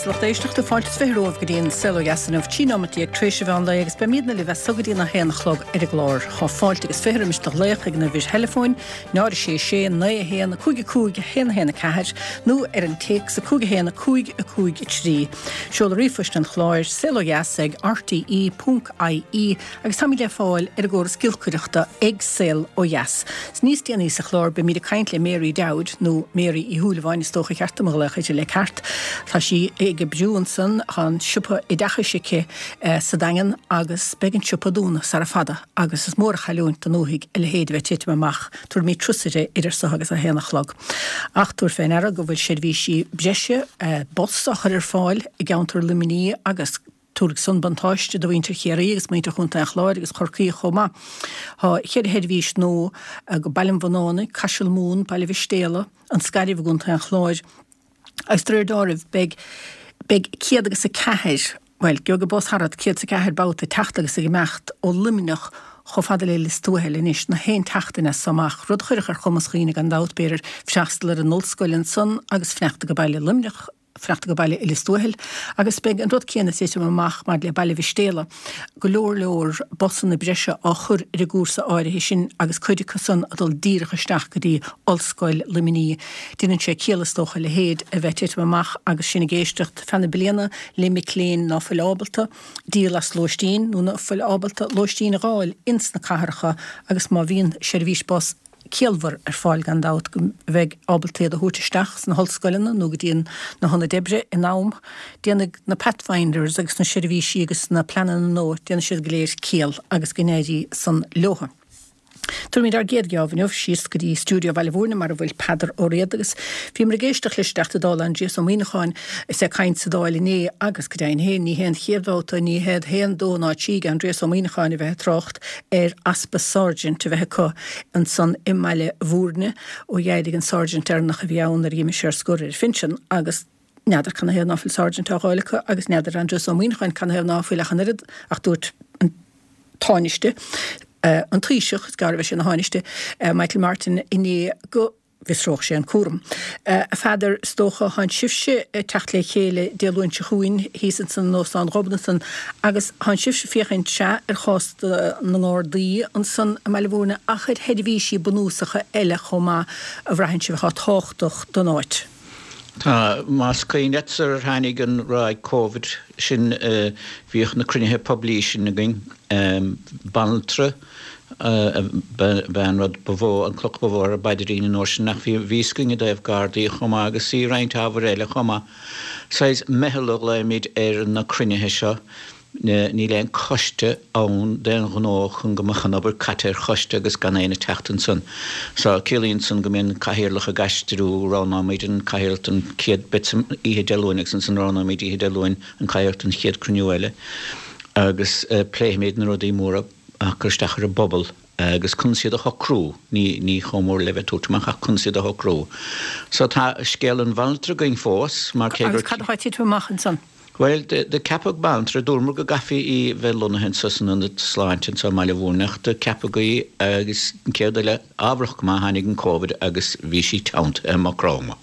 Deas a lucht éisteachta, fáilte is 20 romhaibh go dtí an Saol Ó Dheas inniu, 13 nóimeat tar éis an mheán lae agus beimídne libh as so go dtí an 1 a chlog ar an gclár. Tá fáilte agus 20 roimis do ghlaoch ag an uimhir theileafóin, 0 6 6 9 1 5 5 1 1 4 nó ar an téacs 5 1 5 5 3. Seoladh ríomhphoist an chláir, saolodheas ag rte.ie agus táimid le fáil ar an gcóras giolcaireachta ag Saol Ó Dheas. Níos déanaí sa chlár beimid ag caint le Mary Dowd, nó Mary Uí Shúilleabháin is dócha cheart dom a ghlaoch uirthi le ceart. Tá sí ag oibriú ansan, tá an siopa oideachais aici sa Daingean agus beidh an siopa ag dúnadh sara fada agus is mór an chailliúint don ndúthaigh a leithéid a bheith ag titim amach. Tabharfaimid turas uirthi idir so agus a haon a chlog. Ach tabhair fé ndeara go bhfuil seirbhísí breise bus á chur ar fáil i gceantar Luimnigh agus Tabharfaidh san buntáiste do mhuintir Chiarraí agus muintir Chontae an Chláir agus Chorcaí chomh maith. Tá cheithre sheirbhís nua go Baile an Bhunánaigh, Caiseal Mumhan, Baile Mhistéala, An Scairbh i gContae an Chláir agus de réir dealraimh beidh beidh 104, bhuel, gheobhaidh bus thart 104 babhta ag teacht agus ag imeacht ó Luimneach chomh fada le Lios Tuathail anois na haon tseachtain as so amach, rud a chuirfeadh ar chumas dhaoine gan dabht, b'fhéidir, freastal ar an ollscoil ansan agus fanacht go baile Luimneach. fanacht go baile i Lios Tuathail agus beidh an rud céanna ag titim amach maidir le Baile Mhistéala, go leor leor busanna breise á chur ar an gcúrsa áirithe sin agus cuid acu san ag dul díreach isteach go dtí Ollscoil Luimnigh. Déanann sé ciall is dócha a leithéid a bheith ag titim amach agus sinn ag éisteacht feadh na bliana le mic léinn ná fuil ábalta díol as lóistín nó ná fuil ábalta lóistín a dh'fháil ins na cathracha agus má bhíonn seirbhís bus ciallmhar ar fáil gan dabht go mbeidh ábalta iad a thabhairt isteach sna hollscoileanna nó go dtí na hionaid oibre in am. Déanfaidh na Pathfinders agus na seirbhísí agus na pleananna nua, déanfaidh siad go léir ciall agus go n-éirí san leothu. Tabharfaimid ár gcéad gheábh inniu síos go dtí stiúideo Bhaile Mhúirne mar a bhfuil Peadar Ó Riada agus bhíomar ag éisteacht leis an dTeachta Dála Aindrias Ó Muimhneacháin is é ag caint sa Dáil inné agus go deimhin féin ní hé an chéad bhabhta, ní hiad haon, dó ná trí ag Aindrias Ó Muimhneacháin a bheith ag trácht ar easpa sergeant a bheith acu ansan i mBaile Mhúirne ó d'éirigh an sergeant deireanach a bhí ann nuair a d'imigh sé ar scor ar phinsean agus n'fheadar canathaobh ná fuil sergeant á dh'fháil acu agus n'fheadar Aindrias Ó Muimhneacháin canathaobh ná fuil ach an oiread ach dúirt an Tánaiste, an Taoiseach, is gearr a bheidh sé ina Thánaiste, Michael Martin inné go. bhfiosródh sé an cúram. A Pheadair, is dócha, thánn sibhse ag teacht le chéile Dé Luain seo chugainn thíos ansan in Óstán Ghobnatan agus thánn sibhse ag féachaint, sea, ar chás na nGardaí ansan i mBaile Mhúirne ach ar sheirbhísí bunúsacha eile chomh maith a bhraitheann sibh atá tábhachtach don áit. Tá. Más cuimhin leat sular tháinig an ráig Covid sin bhíodh na cruinnithe poiblí sin againn, banaltra, Ba é an rud ba mhó, an cloch ba mhó ar ár bpaidrín an uair sin ach bhí fhios againn i dtaobh Gardaí chomh maith agus i roinnt ábhair eile chomh maith. Saghas meitheal a ghlaoimid ar na cruinnithe seo. Níl aon choiste ann d'aon ghnó chun go mbeadh an obair caite ar choiste agus gan éinne teacht ansan. So, ciallaíonn san go mbíonn cathaoirleach ag aistriú, roghnóimid an cathaoirleach don chéad bit oíche Dé Luain agus ansan roghnóimid oíche Dé Luain an cathaoirleach don chéad cruinniú eile agus pléifimid na rudaí móra. ag cur isteach ar an bpobal agus conas iad a shocrú, ní chomh mór le bheith ag tabhairt amach ach conas iad a shocrú. So tá scéal an bhanaltra againn fós mar cé gur. Agus cad atá ag titim amach ansan? Bhuel, do ceapadh banaltra, dúramar go gcaithfí í bheith lonnaithe anso san Ionad Sláinte anso i mBaile Mhúirne ach do ceapadh í agus an chéad eile ámharach go maith tháinig an Covid agus bhí sí teanntaithe i Maigh Chromtha.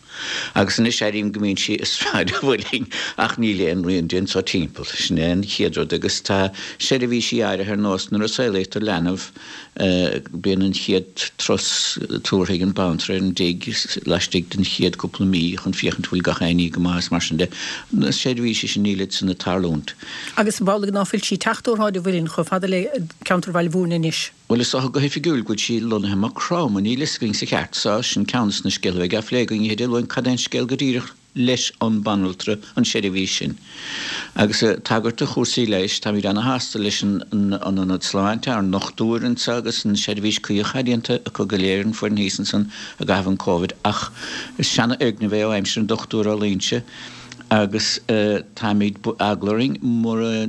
Agus anois airím go mbíonn sí i Sráid an Mhuilinn ach níl aon rian di anso timpeall. Sin é an chéad rud. Agus tá seirbhísí áirithe ar nós nuair a saolaítear leanbh bíonn an chéad turas tabhartha ag an banaltra ar an dtigh laistigh den chéad cúpla mí chun féachaint bhfuil gach aon ní go maith is mar sin de. Na seirbhísí sin nílid san ag tarlúint. Agus ab amhlaidh ná fuil sí ag teacht ó Shráid an Mhuilinn chomh fada le ceantar Bhaile Mhúirne anois? Bhuel, is dócha go hoifigiúil go bhfuil sí lonnaithe i Maigh Chromtha, níl fhios againn sa cheart so, sin ceann des na scéalta a bheidh á phlé againn oíche Dé Luain, cad é an scéal go díreach leis an banaltra, an seirbhís sin. Agus ag tagairt do chúrsaí leighis, táimid ana-shásta leis an Ionad Sláinte, ár ndochtúir anso agus an seirbhís cuí atá déanta acu go léir, an foireann thíos ansan i gcaitheamh an Covid, ach is seana-fhoirgneamh é ó aimsir an Dochtúir Ó Loingsigh agus táimid, eagla orainn mura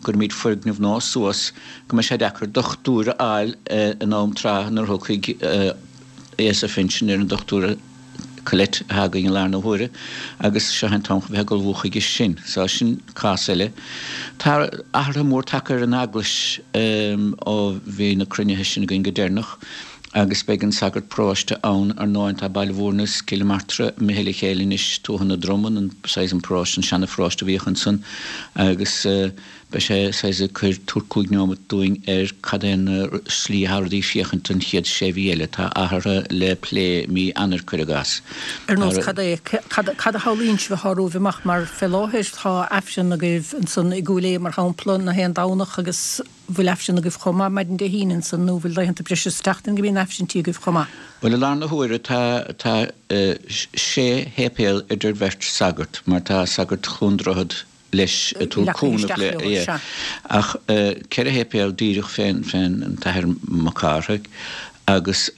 gcuirimid foirgneamh nua suas, go mbeidh sé deacair dochtúir a fháil in am trátha nuair a thiocfaidh aos ar phinsean ar an Dochtúir Colette atá againn i láthair na huaire agus seo é an t-am chun bheith ag ullmhú chuige sin. So sin cás eile. Tá athruithe mór tagtha ar an Eaglais ó bhí na cruinnithe sin againn go deireanach. Agus beidh an sagart paróiste ann, ar ndóigh. Tá Baile Mhúirne is Cill Martra imithe le chéile anois, Tuatha na Dromann, an saghas an paróiste, an seana-pharóiste a bhíodh ansan agus beidh sé saghas ag cur, tabhairt chúig neomat dúinn ar cad é an slí atá rudaí féachaint don chéad sé mhí eile. Tá athruithe le plé mí Eanáir, cuir i gcás. Ar nós cad é? Cad a shamhlaíonn sibh atá romhaibh amach mar fé láthair tá Aifreann agaibh ansan i gCúil Aodha mar shampla, na haon Domhnach agus. bhfuil Aifreann agaibh chomh maith maidin Dé hAoine ansan nó bhfuil laethanta breise sa tseachtain go mbíonn Aifrinntí agaibh chomh maith? Bhuel i láthair na huaire tá tá sé shéipéal idir bheirt sagart mar tá sagart Chluain Droichead leis ag tabhairt cúnamh le yeah ach ceithre shéipéal díreach fén fén an tAthair Mac Cárthaigh agus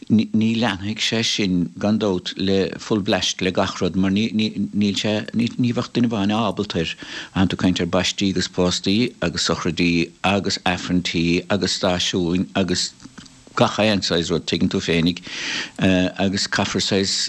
Ní leanfaidh sé sin, gan dabht, le full blast le gach rud mar ní, níl sé, ní bheadh duine amháin ábalta air. Tánn tú ag caint ar baistí agus póstaí agus sochraidí agus aifrinntí agus stáisiúin agus gach aon saghas rud, tuigeann tú féinig, agus caithfear saghas,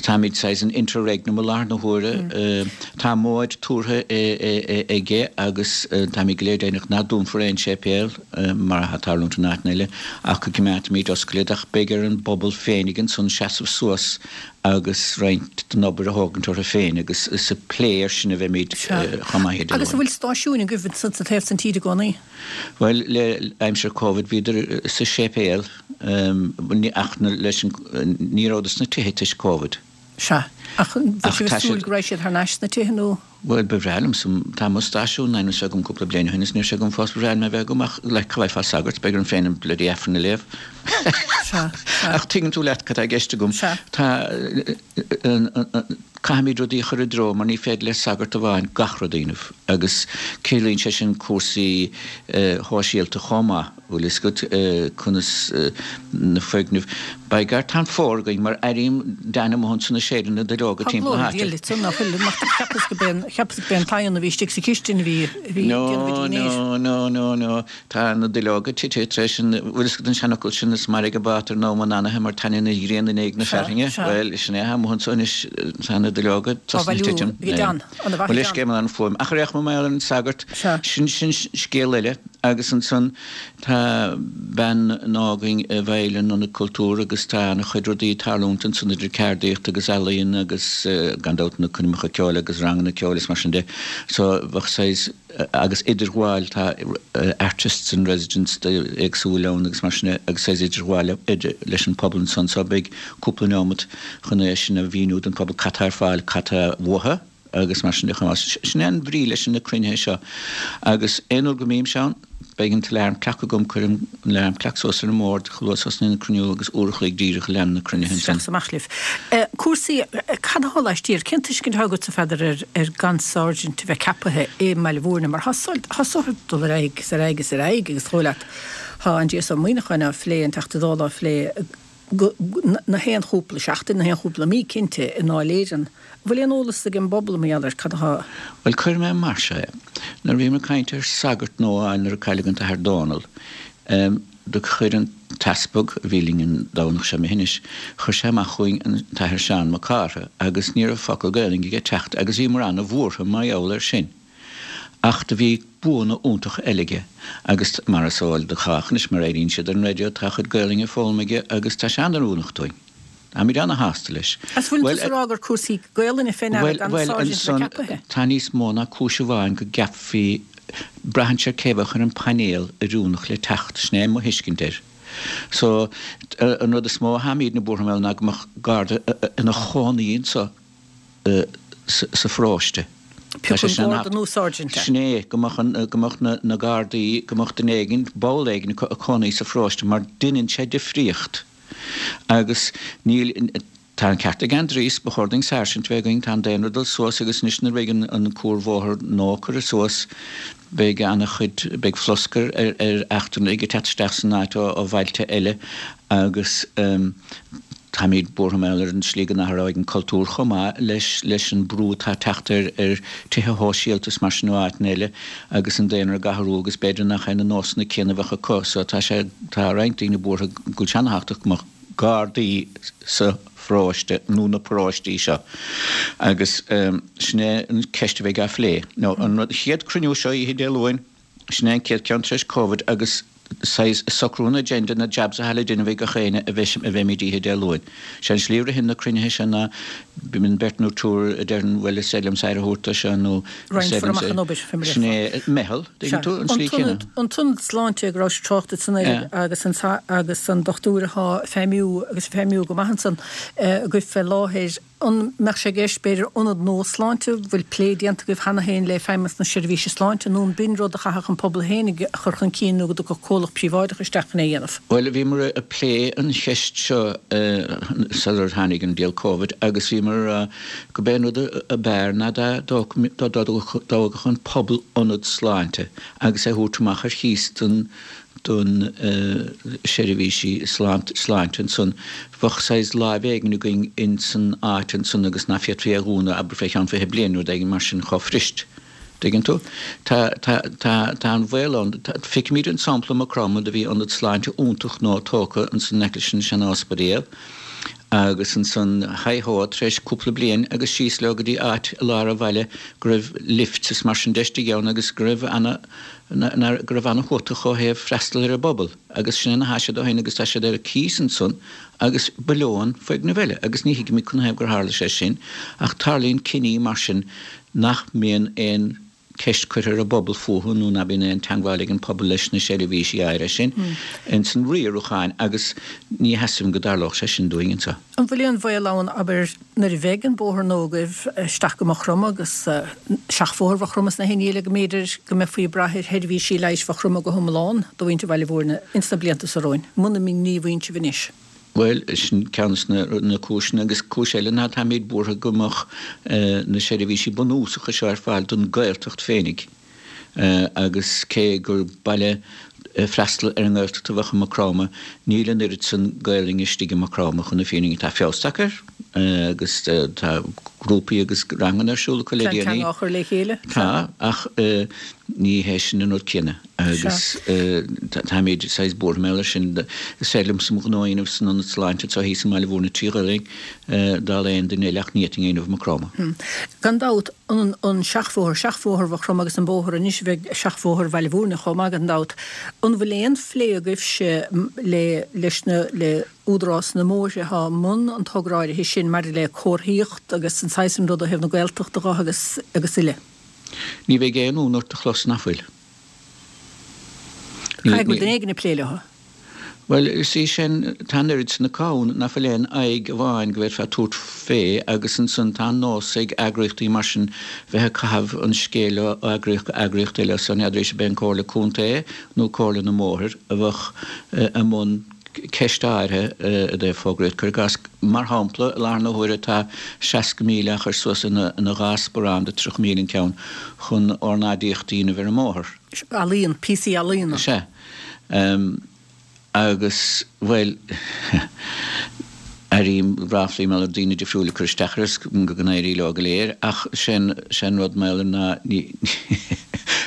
táimid saghas in interregnum i láthair na huaire. Tá móid tabhartha aige agus táimid go léir deimhneach ná dúnfar aon séipéal. mar atá ag tarlúint in áiteanna eile, ach go gcoimeádfaimid oscailte iad, ach beidh ar an bpobal féinig ansan seasamh suas agus roinnt den obair a thógaint orthu féin agus is ag plé air sin a bheimid chomh maith Dé Luain. Agus an bhfuil stáisiúin agaibh ansan sa taobh san tíre i gcónaí? Bhuel, le aimsir Covid bhíodar sa séipéal ach leis an, ní rabhadar sna tithe toisc Covid. Sea. Ach an bhfuil sibh ag súil go raghaidh siad thar n-ais sna tithe nó? Bhuel, ba bhreá liomsa, tá mo stáisiún in ainm is a bheith agam cúpla bliain ó shin is níl sé agam fós, ba bhreá liom é a bheith agam ach like cá bhfaighfeá sagart, beidh orm féin an bloody Aifreann a léamh. Sea, sea. Ach tuigeann tú leat cad tá i gceist agam. Sea. Tá, caithfimid rudaí a chur i dtreo mar ní féidir le sagart amháin gach rud a dhéanamh agus ciallaíonn sé sin cúrsaí shóisialta chomh maith. Bhfuil fhios agat conas na foirgnimh. By gar tá an fómhar againn mar airím Dan amuigh ansan ag séideadh na nduilleoga Tá timpeall na glór háite. eile ansan nach bhfuil mar cheapas go b'é cheapas go b'é an t-oigheann a bhí istigh sa chistin a bhí a bhí ag déanamh No a dínnéir. no no no no tá na duilleoga tite tar éis an bhfuil fhios agat an seanfhocal sin is mairg an bát ar an am an anaithe mar taitníonn an ghrian in éag na Sea fearthainne. sea. Bhuel sin é atá amuigh anso anois tá na duilleoga Á tosnaithe bhailiú titim. ag Dan. Ana mhaith Mo ag Dan. leithscéal mar an fuaim. Ach ar aon chuma mar gheall ar an sagart Sea. sin sin scéal eile. Agus ansan tá bean nua againn i bhfeighil an Ionad Cultúir agus tá ana-chuid rudaí ag tarlúint ansan idir ceardaíocht agus ealaíon agus gan dabht na coirmeacha ceoil agus ranganna ceoil is mar sin de. So bheadh saghas, agus idirghabháil, tá artists in residence éagsúil ann agus mar sin de agus saghas idirghabháil leis an pobal ansan so beidh cúpla neomat chun é sin a mhíniú don phobal cad tá ar fáil, cad tá uathu. agus mar sin de chomh maith. Sin é an bhrí leis na cruinnithe seo. Agus aon uair go mbímse ann, beidh an t-alarm clock agam, cuirim an alarm clock suas ar an mbord chomh luath is a thosnaíonn an cruinniú agus uair a chloig díreach a leanann na cruinnithe ansan. Isteach is amach libh. Cúrsaí, cad atá laistiar? Cén tuiscint atá agatsa, Pheadair, ar ar gan sáirsint a bheith ceapaithe i mBaile Mhúirne? Mar tá tá sórt ag dul ar aghaidh is ar aghaidh is ar aghaidh agus dóigh leat, tá Aindrias Ó Muimhneacháin á phlé, an Teachta Dála á phlé, na haon chúpla seachtain, na haon chúpla mí cinnte, i nDáil Éireann. An bhfuil aon eolas ag an bpobal mar gheall ar cad atá. Bhuel, cuirfidh mé mar seo é. Nuair a bhíomar ag caint ar sagart nua a fháil nuair a cailleadh an tAthair Dónal, do chuir an t-easpag, a bhí linn an Domhnach seo imithe anois, chuir sé amach chugainn an tAthair Seán Mac Cártha agus ní raibh focal Gaelainne aige teacht agus bhíomar ana-bhuartha mar gheall air sin. Ach do bhí buanna iontacha eile aige agus mar is eol do chách anois mar airíonn siad ar an raidió tá a chuid Gaelainne foghlamtha aige agus tá sé an-oiriúnach dúinn. Táimid ana-shásta leis. Is bhfuil tusa ag rá gur cúrsaí Gaelainne fé ndeara gan Bhuel, sáirsint a ansan bheith ceapaithe? tá níos mó ná cúis amháin go gceapfaí, braitheann sé ar cé bheadh ar an bpainéal oiriúnach le teacht, sin é mo thuiscint air. So, an rud is mó a tháimídne buartha mar gheall ná go mbeadh Garda ina chónaí anso sa pharóiste. Pé acu an Garda nó Sáirsint é. Sin é, go mbeadh, go mbeadh na Gardaí, go mbeadh duine éigin, ball éigin acu ag cónaí sa pharóiste mar deineann sé difríocht. Agus níl, tá an ceart ag Aindrias, ba chóir dúinn sáirsint a bheith againn, tá an daonra ag dul suas agus anois nuair a bheidh an cuarbhóthar nua curtha suas, beidh ana-chuid, beidh flosc ar eachtrannaigh ag teacht isteach san áit ó bhailte eile agus táimid buartha mar gheall ar an tslí go n-athróidh an cultúr chomh maith leis leis an brú atá ag teacht ar ar tithe shóisialta is mar sin ó áiteanna eile agus an daonra ag athrú agus b'fhéidir nach é na nósanna céanna a bheadh acu so tá sé tá roinnt daoine buartha go bhfuil sé ana-thábhachtach go mbeadh gardaí sa pharóiste nó na paróistí seo agus sin é an ceist a bheidh á phlé. Nó an rud chéad cruinniú seo oíche Dé Luain, sin é an chéad ceann tar éis Covid agus. Saghas socrú an agenda, na jabs atá le déanamh ag gach éinne a bheimid oíche Dé Luain. Sé an slí a ritheann na cruinnithe seo ná bíonn beirt nó triúr a deireann bhuel is féidir liomsa aire a thabhairt do seo nó is féidir liomsa. Roinnfear amach an obair, fé mar a Sin é meitheal, dtuigeann tú, an slí chéanna. An t-ionad sláinte go rabhais ag trácht ansan air agus an agus an dochtúir atá ag feidhmiú agus ag feidhmiú go maith ansan agaibh fé láthair. An mbeadh sé i gceist, b'fhéidir, ionad nua sláinte, bhfuil plé déanta agaibh cheana féin le Feidhmeannas na Seirbhíse Sláinte, nó an b'in rud a chaithfeadh an pobal féinig a chur chun cinn nó go dtiocfadh comhlacht príobháideach isteach chun é a dhéanamh? Bhuel, bhíomar ag plé an cheist seo sular tháinig an diabhal Covid agus bhíomar ag rá go b'é an rud ab fhearr ná dá dtógfadh an pobal ionad sláinte agus é a thabhairt amach ar chíos don don seirbhísí sláinte ansan. Bheadh saghas láimh éigin againn ins an áit ansan agus ná féadfaí é a dhúnadh abair fé cheann 20 bliain nó rud éigin mar sin chomh fuirist. Dtuigeann tú? Tá, tá, tá, tá an bhaol ann. Feicimid an sampla i Maigh Chromtha do bhí ionad sláinte iontach nua tógtha ansan in aice leis an sean-ospidéal agus ansan haigh ho tar éis cúpla bliain agus síos leo go dtí áit i lár an bhaile go raibh lifts is mar sin de istigh ann agus go raibh ana go raibh ana-thuatach ó thaobh freastal ar an bpobal agus sin é ina thá siad ó shin agus tá siad ar cíos ansan agus ba leo an foirgneamh eile agus ní thuigimid canathaobh gur tharla sé sin ach tarlaíonn cinní mar sin nach mbíonn aon cheist curtha ar an bpobal fúthu nó ná bíonn aon teangmháil ag an pobal leis na seirbhísí áirithe sin ins an riarúcháin agus ní sheasaim go dtarlódh sé sin dúinn anseo. An bhfuil aon bhaol ann, abair, nuair a bheidh an bóthar nua agaibh isteach go Maigh Chromtha agus seachbhóthar Mhaigh Chromtha sna haon ní eile go mb'fhéidir go mbeifí ag brath ar sheirbhísí leighis Mhaigh Chromtha go hiomlán do mhuintir Bhaile Bhúirne ins na blianta so romhainn, muna ngníomhaíonn sibh anois? Bhuel, sin ceann de na cúiseanna agus cúis eile ná táimid buartha go mbeadh na seirbhísí bunúsacha seo ar fáil don Ghaeltacht féinig. Agus cé gur baile ag freastal ar an nGaeltacht a bheadh i Maigh Chromtha, níl an oiread san Gaelainne istigh i Maigh Chromtha chun na fírinne. Tá feabhas tagtha air agus tá grúpaí agus ranganna ar siúl acu le déanaí. Plean teanga á chur le chéile. Tá, ach ní hé sin an rud céanna agus táimid saghas buartha mar gheall air sin. Is féidir liomsa mo ghnó a dhéanamh san ionad sláinte anseo thíos i mBaile Bhúirne trí Ghaelainn dála aon duine eile ach ní fhéadfainn é a dhéanamh i Maigh Chromtha. Gan dabht, an seachbhóthar, seachbhóthar Mhaigh Chromtha agus an bóthar anois a bheidh seachbhóthar Bhaile Bhúirne chomh maith gan dabht. An bhfuil aon phlé agaibhse le leis na le Údarás na mBóithre atá i mbun an togra áirithe sin maidir le comharthaíocht agus an saghas sin rud ó thaobh na Gaeltachta dho agus agus uile? Ní bheidh aon fhonn ort a chlos nach bhfuil. Caithfidh go bhfuil duine éigin ag plé leo. Bhuel, is í sin, tá an oiread san acu ann nach bhfuil aon aghaidh amháin go bhféadfá tabhairt fé agus ansan tá an nós ag eagraíochtaí mar sin bheith ag caitheamh an scéil ó eagraíocht go eagraíocht eile so n'fheadar ab é an Comhairle Contae nó Comhairle na mBóthar a bheadh i mbun ceist áirithe i dtaobh fógraíocht. Cuir i gcás, mar shampla, i láthair na huaire tá 60,000 á chur suas ina dhá sparán de 30,000 an ceann chun ornáidíocht a dhéanamh ar an mbóthar. Ealaíon, píosaí ealaíona. Sea. Agus, bhuel, airím ráflaí mar gheall ar daoine difriúla ag cur isteach air is go n-éirí leo go léir ach sé'n sé'n rud mar gheall air ná ní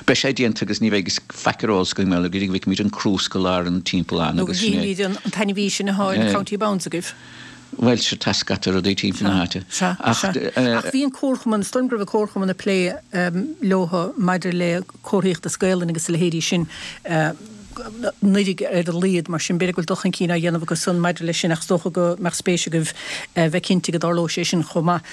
beidh sé déanta agus ní bheidh faic ar eolas againn mar gheall air go dtí go bhfeicfimid an crúsca i lár an timpealláin Nó go agus sin é. gcífimid an t-ainmhí sin atá in County Bounds agaibh. Bhuel, sea, tá scata rudaí timpeall na háite. Sea, Ach, sea. Ach bhí an comharchumann, is dóigh liom go raibh an comharchumann ag plé leotha maidir le comharthaíocht as Gaolainn agus a leithéidí sin anuraidh ar a laghad, mar sin b'fhéidir go bhfuil dul chun cinn á dhéanamh acu san maidir leis sin ach is dócha go mbeadh spéis agaibh bheith cinnte go dtarlóidh sé sin chomh maith.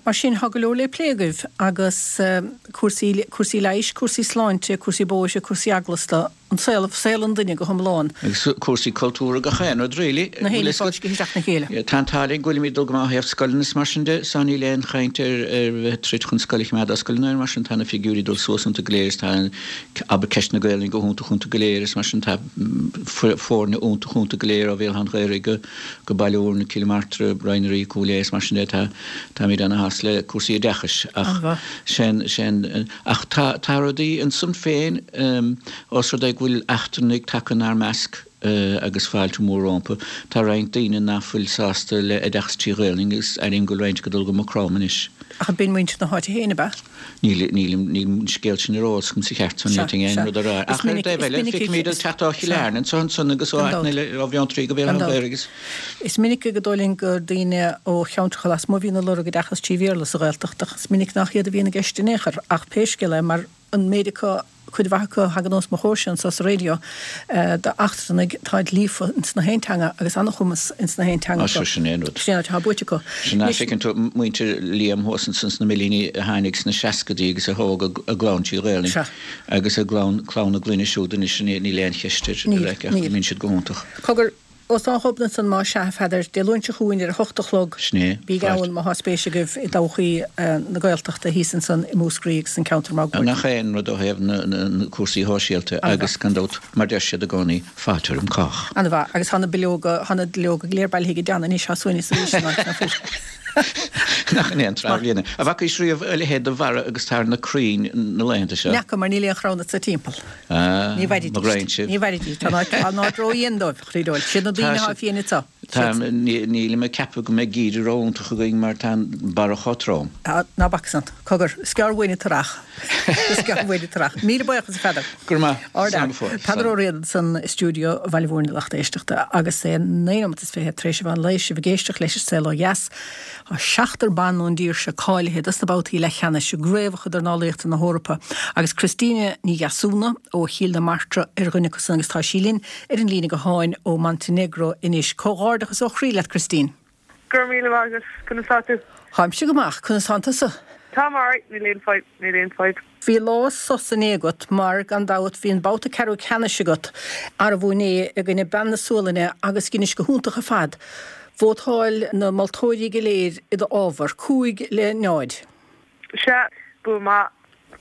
Mar sin, tá go leor le plé agaibh agus cúrsaí, cúrsaí leighis, cúrsaí sláinte, cúrsaí bóithre, cúrsaí eaglasta, an saol, saol an duine go hiomlán. Agus cúrsaí cultúrtha, gach aon rud really. Na héin fáiscthe isteach ina chéile. Tá an t-ádh linn go bhfuilimid ag dul go maith ó thaobh scoileanna is mar sin de, so níl aon chaint ar ar bheith ag troid chun scoil a choimeád oscailte nó mar sin, tá na figiúirí ag dul suas iontu go léir is tá abair ceist na Gaelainne go hiontach iontu go léir is mar sin tá foirne iontach iontu go léir ó Bhéal Átha an Ghaorthaidh go go Baile Bhúirne, Cill Martra, Rinn na Rí, Cúil Aodha is mar sin de tá táimid ana-shásta le cúrsaí oideachais ach sin sin Ach tá, tá rudaí ansan féin, ós rud é go bhfuil eachtrannaigh tagtha inár measc agus fáilte mhór rompu, tá roinnt daoine ná fuil sásta le oideachas trí Ghaelainn agus airím go bhfuil roinnt ag dul go Maigh Chromtha anois. Ach b'in muintir na háite féin, ab ea? Níl, níl, níl an scéal sin ar eolas agam sa cheart so ní fhéadfainn aon rud a rá. Ach ar an dtaobh eile, feicimid ag teacht ó Chill Airne anso ansan agus ó áiteanna eile, ó Bheanntraí go Béal Átha an Ghaorthaidh agus. Is minic gur dóigh linn gur daoine ó cheantracha lasmuigh a bhíonn ag lorg oideachas trí Bhéarla sa Ghaeltacht ach is minic nach iad a bhíonn i gceist in aon chor. Ach pé scéal é, mar an méid acu. cuid mhaith acu a thagann os mo chomhairse anso sa raidió, d'eachtrannaigh, táid líofa ins na haon teanga agus an-chumas ins na haon teanga acu. Sin é an rud. Sin é an rud atá buaite acu. Sin é, feiceann tú muintir Liam thuas ansan sna Millíní a tháinig sna seascaidí agus a thóg a gclann trí Ghaelainn agus a gclann, clann a gclainne siúd anois, níl aon cheist air, ach go mbíonn siad go hiontach. Cogar, Óstán Ghobnait ansan más sea, a Pheadair, Dé Luain seo chugainn ar a hocht a chlog. Sin é. Bígí ann má thá spéis agaibh i dtodhchaí na Gaeltachta thíos ansan i Múscraí agus an ceantar máguaird. Nach é an rud ó thaobh na cúrsaí shóisialta agus gan dabht, mar deir siad i gcónaí, fáilte roim cách. Ana mhaith. Agus thá na bileoga, thá na duilleoga go léir bailithe ag Dan anois, thá suaimhneas arís san áit, ná fuil? Nach in é an tráth bhliana. An bhfacaís riamh a leithéid de bharra agus atá ar na crainn na laethanta seo? N'fheaca, mar níl aon chrann anso timpeall. Ah, Ní mhairfidís. mo ghraidhin sibh. Ní mhairfidís. Tá an áit, tá an áit ró-dhian dóibh, a chroí Siad na daoine atá fiain anseo. Tá, nílim ag ceapadh go mbeidh geimhreadh ró-iontach againn mar tá an barra chomh trom. Tá, ná bac san. Cogar, is gearr uainn an t-earrach. Is gearr uainn an t-earrach. Míle buíochas, a Pheadair. Go raibh maith. Ard Slán go fóill. Peadar Ó Riada ansan i stiúideo Bhaile Mhúirne lucht éisteachta agus é 9 nóimeat is 20 tar éis an mheán lae sibh ag éisteacht leis an Saol Ó Dheas. Tá seachtar ban ón dtír seo cáilithe dos na babhtaí leathcheannais i gCraobhacha Dornálaíochta na hEorpa agus Christina Ní Dheasúna ó Chill na Martra ar dhuine acu san agus tá sí linn ar an líne gutháin ó Montenegro anois. Comhghairdeachas ó chroí leat Christine. Go raibh míle maith agat. Conas tá tú? Táimse go maith. Conas tánn tusa? Táim alright, níl aon fadhb, níl aon fadhb. Bhí lá sos inné agat mar, gan dabht, bhí an babhta ceathrú ceannais agat arbú inné i gcoinne bean na Sualainne agus dheinis go hiontach ar fad. Vótáil na moltóirí go léir i do fhábhar, 5 le 0. Sea, bua maith,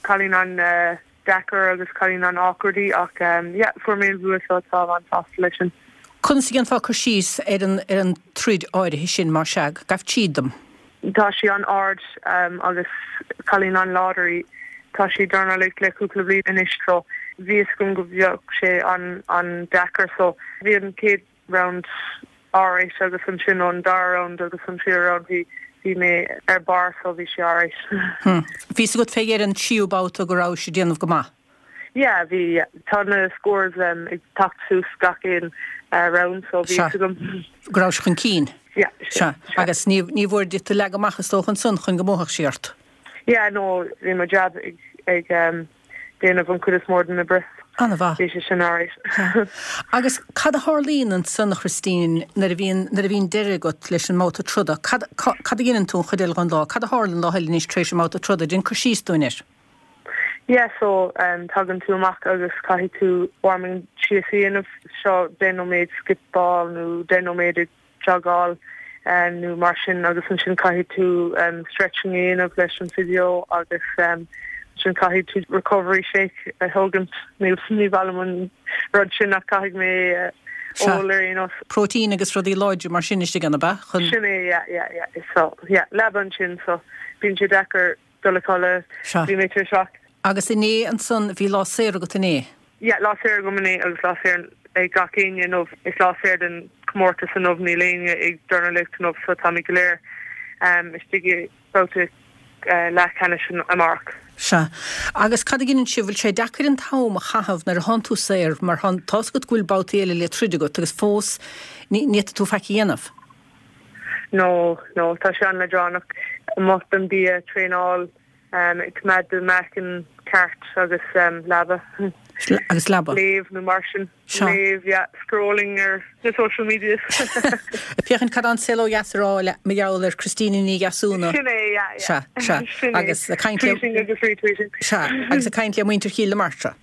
cailín an-deacair agus cailín an-awkward í ach yeah, fuair mé an bhua so táim an-sásta leis sin. Conas a dhéanfá cur síos ar an ar an troid áirithe sin, más ea? Gabh tríd dom. Tá sí an-ard agus cailín an-láidir í. Tá sí ag dornálaíocht le cúpla bliain anois so bhí fhios agam go bheadh sé an-deacair so bhí an chéad round alright agus ansin ón dara round agus an tríú round bhí bhí mé ar barr so bhí sé alright. Bhí fhios agat fé dheireadh an tríú babhta go rabhais ag déanamh go maith? Yeah bhí yeah. Tá na scores ag teacht suas gach aon round so bhí fhios agam. Go rabhais chun cinn? Yeah. Sea. Agus ní ní mhór duit leagadh amach is dócha ansan chun go mbuafadh sí ort? Yeah no bhí mo jab ag ag déanamh an chuid is mór den oibre. An-mhaith. Bhí sé sin alright. Agus cad a tharlaíonn ansan, a Christine, nuair a bhíonn, nuair a bhíonn deireadh agat leis an mbabhta troda? Cad, cad a dhéanann tú an chuid eile den lá? Cad a tharlaíonn lá eile anois tar éis an mbabhta troda? Déan cur síos dúinn air. Yeah, so tagann tú amach agus caithfidh tú warming síos a dhéanamh, seo 10 nóiméad skip-áil nó 10 nóiméad ag jogáil nó mar sin agus ansin caithfidh tú stretching a dhéanamh leis an physio agus ansin caithfidh tú recovery shake a thógaint. Ní ní maith liom an rud sin ach caithfidh mé ól ar aon nós. Próitéin agus rudaí láidre mar sin istigh ann, ab ea? Chun. Sin é, yeah, yeah, yeah. So, yeah, leaba ansin so bíonn sé deacair dul a chodladh. Sea. Bhí mé tuirseach. Agus inné ansan, bhí lá saor agat inné? Yeah, lá saor agam inné agus lá saor ag gach éinne inniu. Is lá saor den chomórtas inniu, níl éinne ag dornálaíocht inniu so táimid go léir istigh i babhta leathcheannais amárach. Sea. Agus cad a dheineann sibh, bhfuil sé deacair an t-am a chaitheamh nuair a thánn tú saor mar tá 'fhios agat go bhfuil babhtaí eile le troid agat agus fós ní fhéadfaidh tú faic a dhéanamh? No, no, tá sé an-leadránach. Amuigh don bia, traenáil, ag coimeád do meáchan ceart agus leaba. Agus leaba. Léamh nó mar sin. Sea. Léamh, yeah. Scrolling ar na social medias. Ag féachaint cad tá an saol ó dheas a rá le mar gheall ar Christina Ní Dheasúna. Sin é, yeah, yeah. Sea, sea. Sin é. Agus ag caint le. Tweeting agus retweeting. Sea, agus ag caint le muintir Chill na Martra.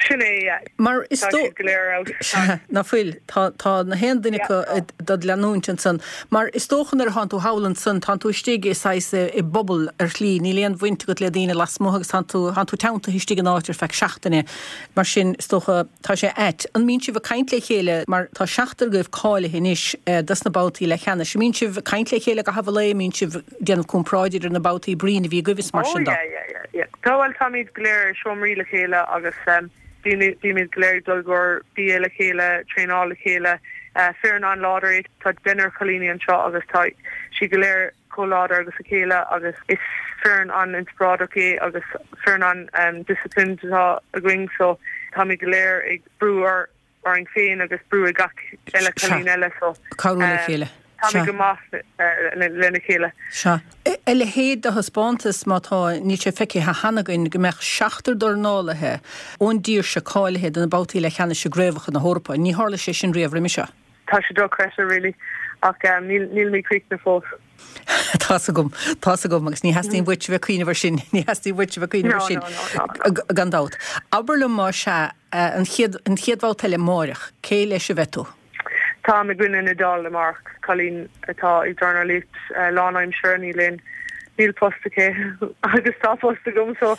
Sin é, yeah. Mar is Tá dó. siad go léir out. Sea, ná fuil. Tá, tá na haon duine Yeah, acu tá. dod leanúint ansan. Mar is dócha nuair a thánn tú thall ansan, tánn tú istigh i saghas, i bpobal ar shlí, níl aon bhaint agat le daoine lasmuigh agus tánn tú, tánn tú teanntaithe istigh in áit ar feadh seachtaine. Mar sin, is dócha, tá sé ait. An mbíonn sibh ag caint le chéile, mar tá seachtar agaibh cáilithe anois dos na babhtaí leathcheannais, an mbíonn sibh ag caint le chéile i gcaitheamh an lae, an mbíonn sibh ag déanamh comparáid idir na babhtaí broinn a bhí agaibh is mar Oh sin de? yeah, yeah, yeah. Yeah. Tá, bhuel, táimid go léir i seomraí le chéile agus bímid go léir ag dul i gcomhair bia le chéile, traenáil le chéile. Foireann an-láidir é. Tá deichniúr cailíní anseo agus tá siad go léir chomh láidir agus a chéile agus is foireann an-inspioráideach é agus foireann an-disciplined atá againn so táimid go léir ag brú orainn féin agus brú ag gach eile Sea. cailín eile so Cabhrú le chéile. Táimid go maith lena chéile. Sea. A leithéid de thaispeántas, má tá, níl sé feicthe cheana againn, go mbeadh seachtar dornálaithe ón dtír seo cáilithe do na babhtaí leathcheannais i gCraobhacha na hEorpa. Ní tharla sé sin riamh roimhe seo. Tá sé dochreidte really ach níl mé críochnaithe fós. Tá's agam, tá's agam agus ní theastaíonn uait a bheith ag cuimhneamh ar sin, ní theastaíonn uait a bheith ag cuimhneamh ar sin gan dabht. Abair liom más ea, an chéad, an chéad bhabhta eile amáireach, cé leis a bheidh tú? Táim i gcoinne na hIodáile amárach, cailín atá ag dornálaíocht lánaimseartha, níl aon, níl post aici agus tá post agam so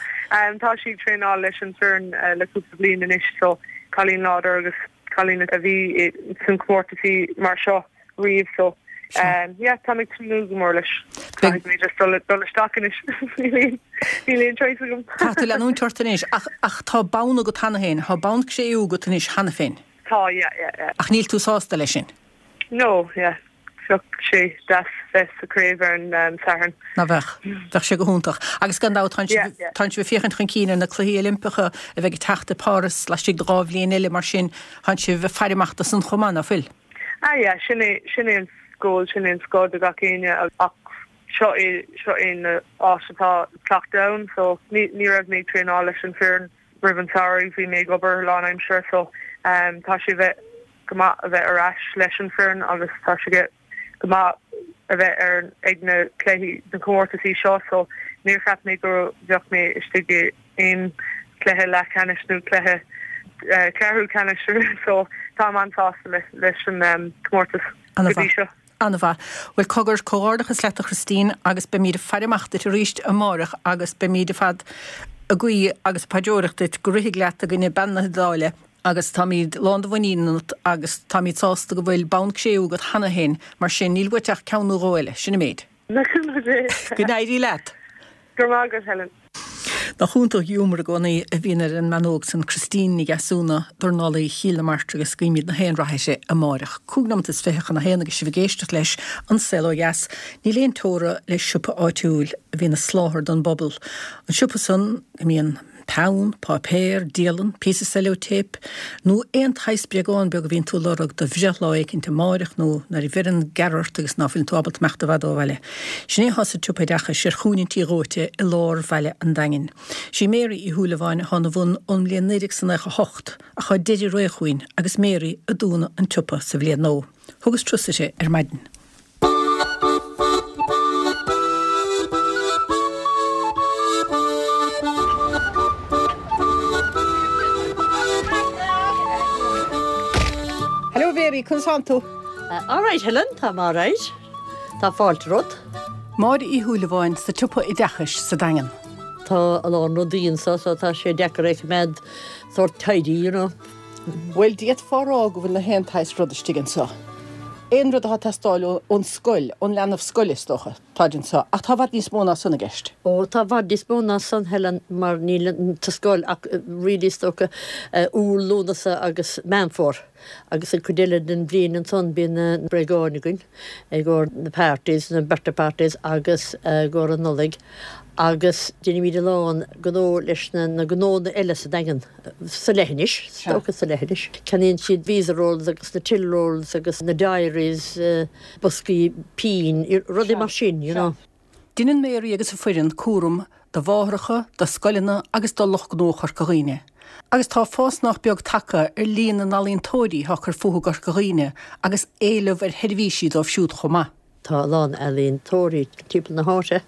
tá sí ag traenáil leis an foireann le cúpla bliain anois so cailín láidir agus cailín a bhí san comórtasaí mar seo riamh so yeah táim ag tnúth go mór leis. Caithfidh mé just dul dul isteach anois níl aon choice agam. Caithfidh tú leanúint ort anois ach ach tá bonn agat cheana féin, tá bonn cré-umha agat anois cheana féin. Tá yeah yeah yeah. Ach níl tú sásta leis sin? No yeah bheadh sé deas bheith sa craobh ar an Satharn. Ná bheadh? Bheadh sé go hiontach. Agus gan dabht tánn sibh tánn sibh ag féachaint chun cinn ar na Cluichí Oilimpeacha a bheidh ag teacht i Páras laistigh de 2 bhliain eile mar sin tánn sibh ag faire amach do san chomh maith, ná fuil? Ah yeah, sin é sin é an goal, sin é an scoth do gach éinne ach seo é seo é an áit atá cleachtadh ann so ní ní raibh mé ag traenáil leis an foireann roimh an samhradh, bhí mé ag obair lánaimseartha so tá sé bheith go maith a bheith ar ais leis an foireann agus tá sé go maith a bheith ar ag na cluichí na comórtasaí seo so níor cheap mé go bheadh mé istigh i aon cluiche leathcheannais nó cluiche ceathrú ceannais so táim an-sásta leis an comórtas go dtí seo. An-mhaith. Bhuel, cogar, comhghairdeachas leat a Christine agus beimíd ag faire amach duit arís amáireach agus beimíd ar fad ag guí agus ag paidreoireacht duit go rithfidh leat i gcoinne bean na hIodáile agus táimíd lán de mhuinín ionat agus táimíd sásta go bhfuil bonn cré-umha agat cheana féin, mar sin níl uait ach ceann nó dhó eile, sin an méid. Go n-éirí leat! Go raibh maith agat, Helen. Nach iontach ghiúmar i gcónaí a bhíonn ar an mbean óg san, Christine Ní Dheasúna, dornálaí Chill na Martra agus guímid na haon rath uirthi amáireach. 25 nóimeat chun a haon agus sibh ag éisteacht leis An Saol Ó Dheas. Níl aon teora le siopa áitiúil a bhíonn ag soláthar don bpobal. An siopa san go mbíonn peann, páipéar, dialann, píosa cellotape, nó aon tsaghas bréagán beag a bhíonn tú ag lorg do bhreithlá éicint amáireach nó nuair a bheireann gearradh ort agus ná fuileann tú ábalta imeacht i bhfad ó bhaile. Sin é atá sa tSiopa Oideachais ar Chúinne an Tí Dhóite i lár bhaile an Daingin. Sí Mary Uí Shúilleabháin atá ina bhun ón mbliain 1998 ach tá deireadh ré chugainn agus Mary ag dúnadh an tsiopa sa bhliain nua. Thugas turas uirthi ar maidin. Hello Mary, conas tánn tú? All right Helen, táim all right. Tá fáilte romhat. Máire Uí Shúilleabháin sa tSiopa Oideachais sa Daingean. Tá a lán rudaí anso so tá sé deacair é a choimeád sórt tidy, you know. Bhuel, d'fhéadfá a rá go bhfuil na haon tsaghas rud istigh anso. Aon rud atá ag teastáil ón scoil, ón leanbh scoile is dócha, táid anso. Ach tá i bhfad níos mó ná san i gceist. Ó, tá i bhfad níos mó ná san, Helen, mar níl sa scoil ach really is dócha Iúil, Lúnasa agus Meán Fómhair. Agus an chuid eile den bhliain ansan bíonn na bréagáin againn i gcomhair na parties, na birthday parties agus i gcomhair an Nollaig agus déanaimid a lán gnó leis na gnónna eile sa Daingean. sa leithinis, is dócha sa leithinis. Ceannaíonn siad visa rolls agus na till rolls agus na diaries, boscaí pinn, rudaí mar sin, you know. Deineann Mary agus a foireann cúram do mháithreacha, do scoileanna agus do lucht gnó Chorca Dhuibhne. Agus tá fás nách beag tagtha ar líon na n-ealaíontóirí atá ag cur fúthu i gCorca Dhuibhne agus éileamh ar sheirbhísí dóibh siúd chomh maith. Tá a lán ealaíontóirí timpeall na háite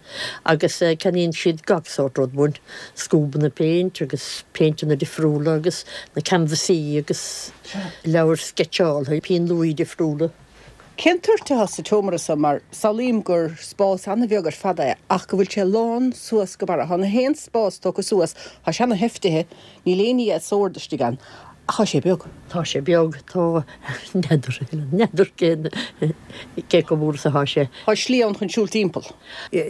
agus ceannaíonn siad gach sórt rud uainn, scuabanna péint agus péinteanna difriúla agus na canvasaí agus leabhair sceitseála, pinn luaidhe difriúla. Cén toirt atá sa tseomra seo mar samhlaím gur spás an-bheag ar fad é ach go bhfuil sé lán suas go barra. Tá na haon spás tógtha suas, tá sé ana-sheifte, níl aon ní as ord istigh ann. Ach tá sé beag. Tá sé beag. Tá, n'fheadar, n'fheadar cén, cé chomh mór is atá sé. Tá slí ann chun siúl timpeall.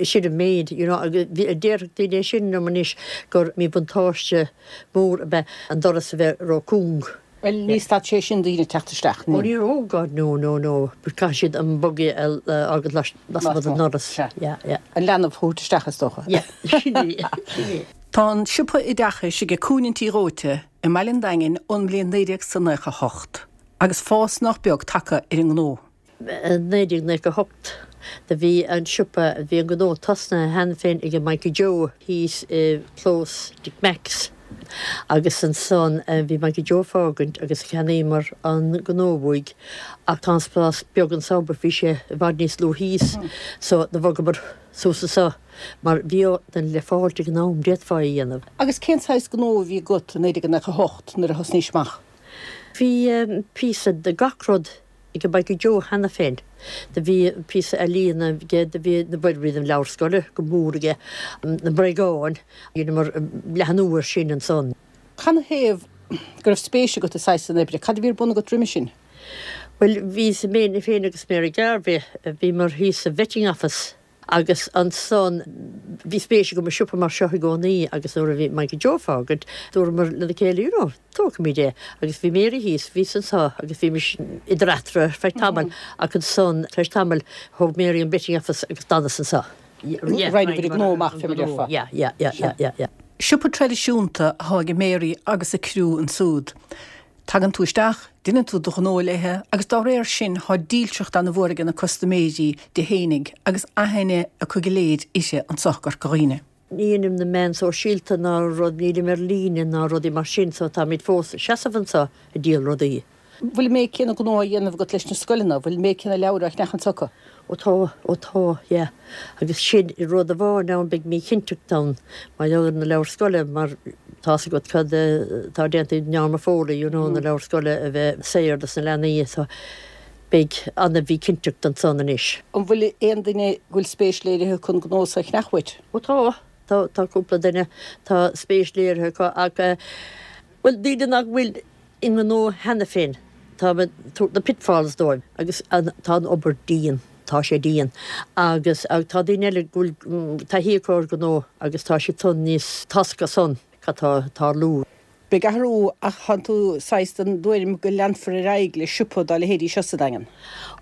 Sin an méid, you know, agus déarfadh daoine é sin liom anois gur míbhuntáiste mór ab ea an doras a bheith ró-cúng. Bhuel, ní stad sé sin daoine teacht isteach, ní. Ó ní, oh God, no, no, no, but caithfidh siad an buggy a fhágáil lasmuigh den ndoras. Sea. Yeah, yeah. An leanbh a thabhairt isteach, is dócha. Yeah, sin é, sin é. Tá an siopa oideachais aige Cúinne an Tí Dhóite i mbaile an Daingin ón mbliain 1998 agus fás nach beag tagtha ar an ngnó. 1998 do bhí an siopa, bhí an gnó tosnaithe cheana féin ag Mikey Joe thíos i gclós Dick Mack's agus ansan bhí Mikey Joe ag fágaint agus cheannaíomar an gnó uaidh ach tá an spás beag anso but bhí sé i bhfad níos lú thíos so do bhogamar suas anso mar bhí duine le fáilt ag an am, d'fhéadfá é a dhéanamh. Agus cén saghas gnó a bhí agat i 1998 nuair a thosnaís amach? Bhí píosa de gach rud ag Mikey Joe cheana féin. Do bhí píosa ealaíona aige, do bhí na bhuel bhí na leabhair scoile go mór aige, na bréagáin, dheineamar leathnú air sin ansan. Canathaobh go raibh spéis agat i saghas san oibre? Cad a bhí ar bun agat roimhe sin? Bhuel, bhíos, mé féin agus Mary Garvey, bhíomar thíos sa Vetting Office Agus ansan, bhí spéis agam i siopa mar seo i gcónaí agus nuair a bhí Mikey Joe ag fágaint, dúramar lena chéile, you know, tógfaimid é. Agus bhí Mary thíos, bhíos anso agus bhímis idir eatarthu ar feadh tamaill ach ansan, tar éis tamaill, thóg Mary an Vetting Office agus d'fhanas anso. Roinneabhair an gnó amach, fé mar a déarfá. Yeah, yeah, yeah, yeah, yeah, yeah. Siopa traidisiúnta athá ag Mary agus a criú ansúd. Tagann tú isteach, deineann tú do ghnó léithe agus dá réir sin thá dílseacht ana mhór aige na custaiméirí di fhéinig agus aithne acu go léir uirthi anso i gCorca Dhuibhne. Ní dheinim na meáin sóisialta ná rud, nílim ar líne ná rudaí mar sin so táimid fós ag seasamh anseo ag díol rudaí. Bhfuil an méid céanna gnó á dhéanamh agat leis na scoileanna? Bhfuil an méid céanna leabhair á cheannach anso acu? Ó tá, ó tá, yeah. Agus sin rud amháin ann, beidh míchinnteacht ann mar gheall ar na leabhair scoile mar tá's agat cad atá déanta ag Norma Foley, you know, na leabhair scoile a bheith saor dos na leanaí so beidh ana-mhíchinnteacht ansan anois. An bhfuil aon duine go bhfuil spéis léirithe acu an gnó so a cheannach uait? Ó tá, tá, tá cúpla duine, tá spéis léirithe acu ach, bhuel, daoine nach bhfuil i ngnó cheana féin. Tá mé ag tabhairt na pitfalls dóibh agus tá an obair dian, tá sé dian. Agus tá daoine eile go bhfuil taithí acu ar ghnó agus tá siad san níos, tá's acu san cad tá ag tarlú. Beidh athrú ach tánn tú saghas den dtuairim go leanfar ar aghaidh le siopa dá leithéidí seo sa Daingean?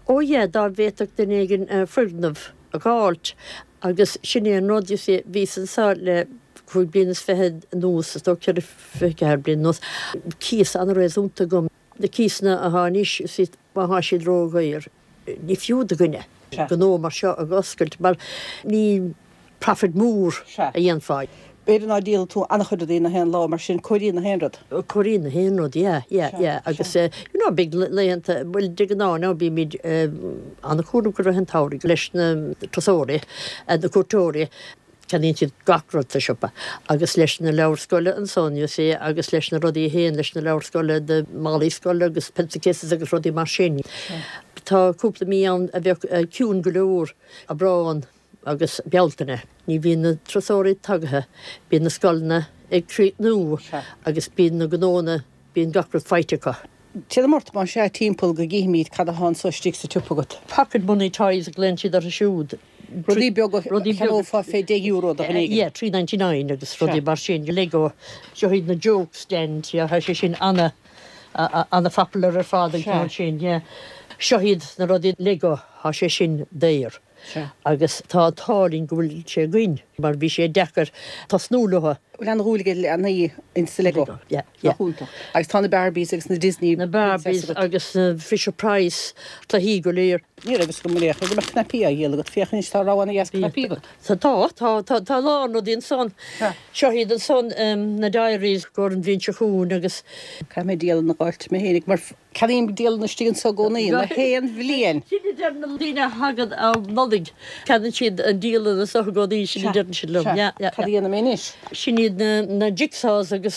Ó yeah, dá bhféadfadh duine éigin foirgneamh a dh'fháilt agus sin é an rud, you see, bhíos anso le 25 bliana anuas, is dócha 24 bliana anuas, cíos an-réasúnta agam. Na cíosanna athá anois, you see, má thá siad ródhaor, ní fiú do dhuine gnó mar seo a dh'oscailt mar ní profit mór a dhéanfá. B'fhéidir ná díolann tú an-chuid rudaí na haon lá, mar sin comhairíonn na haon rud. Comhairíonn na haon rud, yeah, yeah, yeah. Agus, you know, beidh laethanta, bhuel, de ghnáth now bímid an-chúramach i rith an tsamhraidh leis na turasóirí, na cuairteoirí, ceannaíonn siad gach rud sa siopa. Agus leis na leabhair scoile ansan, you see, agus leis na rudaí a théann leis na leabhair scoile, na málaí scoile agus pencil cases agus rudaí mar sin. Tá cúpla mí ann a bheadh ciúin go leor, Aibreán, agus Bealtaine. Ní bhíonn na turasóirí tagaithe, bíonn na scoileanna ag críochnú agus bíonn na gnóanna, bíonn gach rud faighte acu. Téanam ort más ea timpeall go gcífimid cad atá anso istigh sa tsiopa agat. Pocket money toys a ghlaonn siad orthu siúd. Rudaí beaga a cheannófá fé deich euro do dhuine éigin. Yeah, 3.99 agus rudaí mar sin, Lego. Seo iad na joke stand, yeah, tá sé sin ana, ana popular ar fad an ceann sin, yeah. Seo iad na rudaí Lego, tá sé sin daor. Agus tá an t-ádh linn go bhfuil sé againn mar bhí sé deacair tosnú leo. Bhfuil an-dhúil ag leanaí ins na Lego? Yeah, yeah. Nach iontach. Agus tá na Barbies agus na Disney Na Barbies agus na Fisher Price, cluichí go léir. Ní raibh fhios agam ar aon chor go mbeadh cnaipí á dhíol agat. Féach anois tá rogha ana-dheas cnaipí agat. Tá, tá, tá, tá a lán rudaí ansan. Seo iad ansan na diaries gur an bhliain seo chugainn agus. Caithfidh mé dialann a dh'fháilt mé fhéinig mar Ceannaím dialann istigh anso i gcónaí, na haon bhliain. Sin a deireann na daoine a thagann um Nollaig, ceannaíonn siad an dialann anso i gcónaí, sin a deireann siad liom. Sea, sea. Cad a dhéanfaidh mé anois? Sin iad na jigsaws agus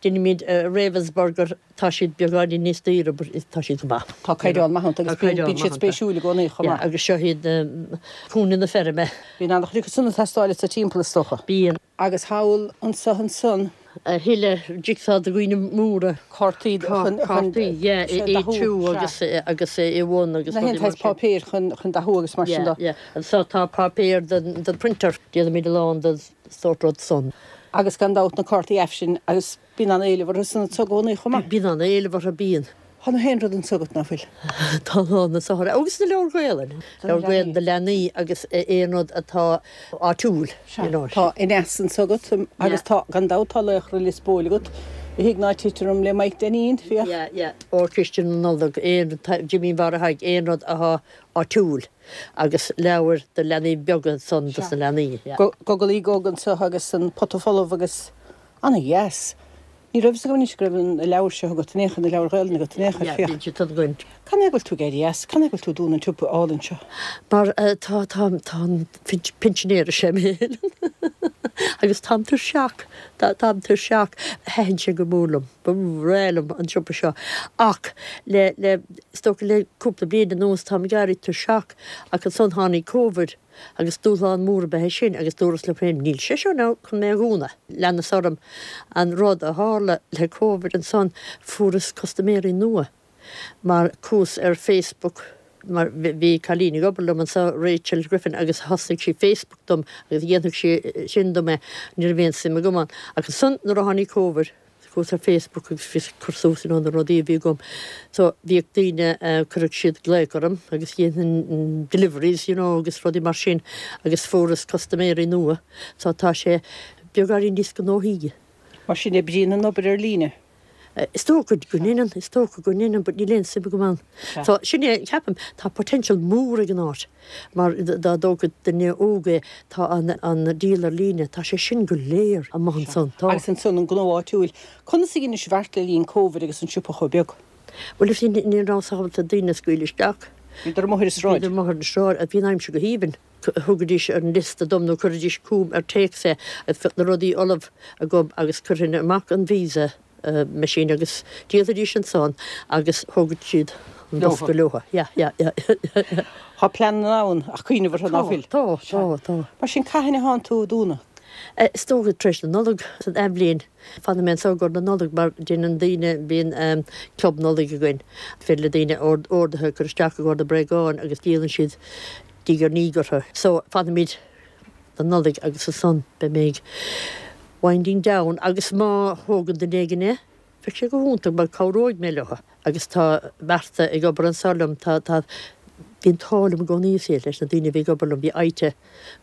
deinimid Ravensburger, tá siad beagáinín níos daoire but tá siad go maith. Tá caighdeán maith iontu agus bíonn siad spéisiúil i gcónaí chomh maith. Yeah, agus seo iad na cúinne na feirme. Bíonn an-chuid acu san ag teastáil anso timpeall is dócha. Bíonn. Agus thall anso ansan. A thuilleadh jigsaw do dhaoine móra. Cártaí chun Cártaí, yeah, A2 agus agus A1 agus Na haon tsaghas páipéir chun chun dathú agus mar sin de. Yeah, yeah. Anso tá páipéar don don printer. Déanaimid a lán den sórt rud san. Agus gan dabht na cártaí aifrinn agus Bíonn an-éileamh orthu san anso i gcónaí chomh maith. Bíonn an-éileamh orthu, bíonn. Tá na haon rud anso agat, ná fuil? Tá a lán anso. Agus na leabhair Gaelainn. Leabhair Gaelainn do leanaí agus aon rud atá áitiúil, you know. Tá Aneas anso agat agus tá, gan dabht, tá Laochra Lios Póil agat. Thig ná tit orm le Mike Denneen, féach. Yeah, yeah. Órchiste na Nollag, aon, Jimín Mháire Thaidhg, aon rud athá áitiúil agus leabhair do leanaí beaga ansan dos na leanaí, yeah. Gogalaí Gog anseo agus an pota folamh agus ana-dheas. Ní raibh fhios agam anois go raibh na leabhair seo agat in aon chor, na leabhair Ghaelainne agat in aon chor, féach. Yeah, bíonn siad san againn. Cad é go bhfuil tú ag éirí as? Cad é go bhfuil tú ag dúnadh an tsiopa álainn seo? Mar tá, tá, tá an pinsinéir is ea mé agus táim tuirseach, táim tuirseach. Thaitin sé go mór liom, ba bhreá liom an siopa seo ach le, le, is dócha le cúpla bliain anuas táim ag éirí tuirseach ach ansan tháinig Covid. Agus dúshlán mór ab ea é sin agus dúras liom féin, níl sé seo now chun mé a dhúnadh. Leanas orm. An rud a tharla le Covid ansan, fuaireas custaiméirí nua mar chuas ar Facebook mar bhí cailín ag obair liom anso, Rachel Griffin, agus thosnaigh sí Facebook dom agus dhéanfadh sí sin dom é, ní raibh aon suim agam ann. Ach ansan nuair a tháinig Covid, Chuas ar Facebook agus bhíos ag cur suas you know na rudaí a bhí agam. So bhíodh daoine, cuireadh siad glaoch orm agus dhéanfainn deliveries you know agus rudaí mar sin agus fuaireas custaiméirí nua. So tá sé beagáinín níos gnóthaí. Mar sin oibríonn an obair ar líne? Is dócha go ndéanann, is dócha go ndéanann but níl aon suim agam ann. So sin é, ceapaim, tá potential mór ag an áit mar dá dtógfadh duine óg é, tá an an díol ar líne, tá sé sin go léir amuigh ansan, tá. Agus ansan an gnó áitiúil. Conas a dheinis beart le linn Covid agus an siopa chomh beag? Bhuel, you see, ní rabhas ábalta daoine a scaoileadh isteach. Bhíodar amuigh ar an sráid. Bhíodar amuigh ar an sráid. Bhí an aimsir go haoibhinn. Thugaidís an liosta dom nó chuiridís chugam ar téacs é agus bheadh na rudaí ullamh agam agus chuirfinn amach an Visa machine agus dhíolfaidís ansan agus thógfadh siad an bosca leotha. Yeah, yeah, yeah. Tá pleananna ann ach cuimhneamh orthu ná fuil? Tá, tá, tá. Mar sin cathain a thánn tú ag dúnadh? Is dócha tar éis na Nollag, san athbhliain. Fanfaidh mé anseo i gcomhair na Nollag mar déanann daoine, bíonn club Nollag againn. Féidir le daoine orduithe a chur isteach i gcomhair na bréagáin agus díolann siad diaidh ar ndiaidh orthu. So fanfaimid don Nollaig agus ansan beidh mé ag winding down agus má thógann duine éigin é, bheadh sé go hiontach mar cabhróidh mé leo agus tá Martha ag obair anseo liom, tá, tá, bhí an t-ádh liom i gcónaí is ea leis na daoine a bhí ag obair liom, bhí Ita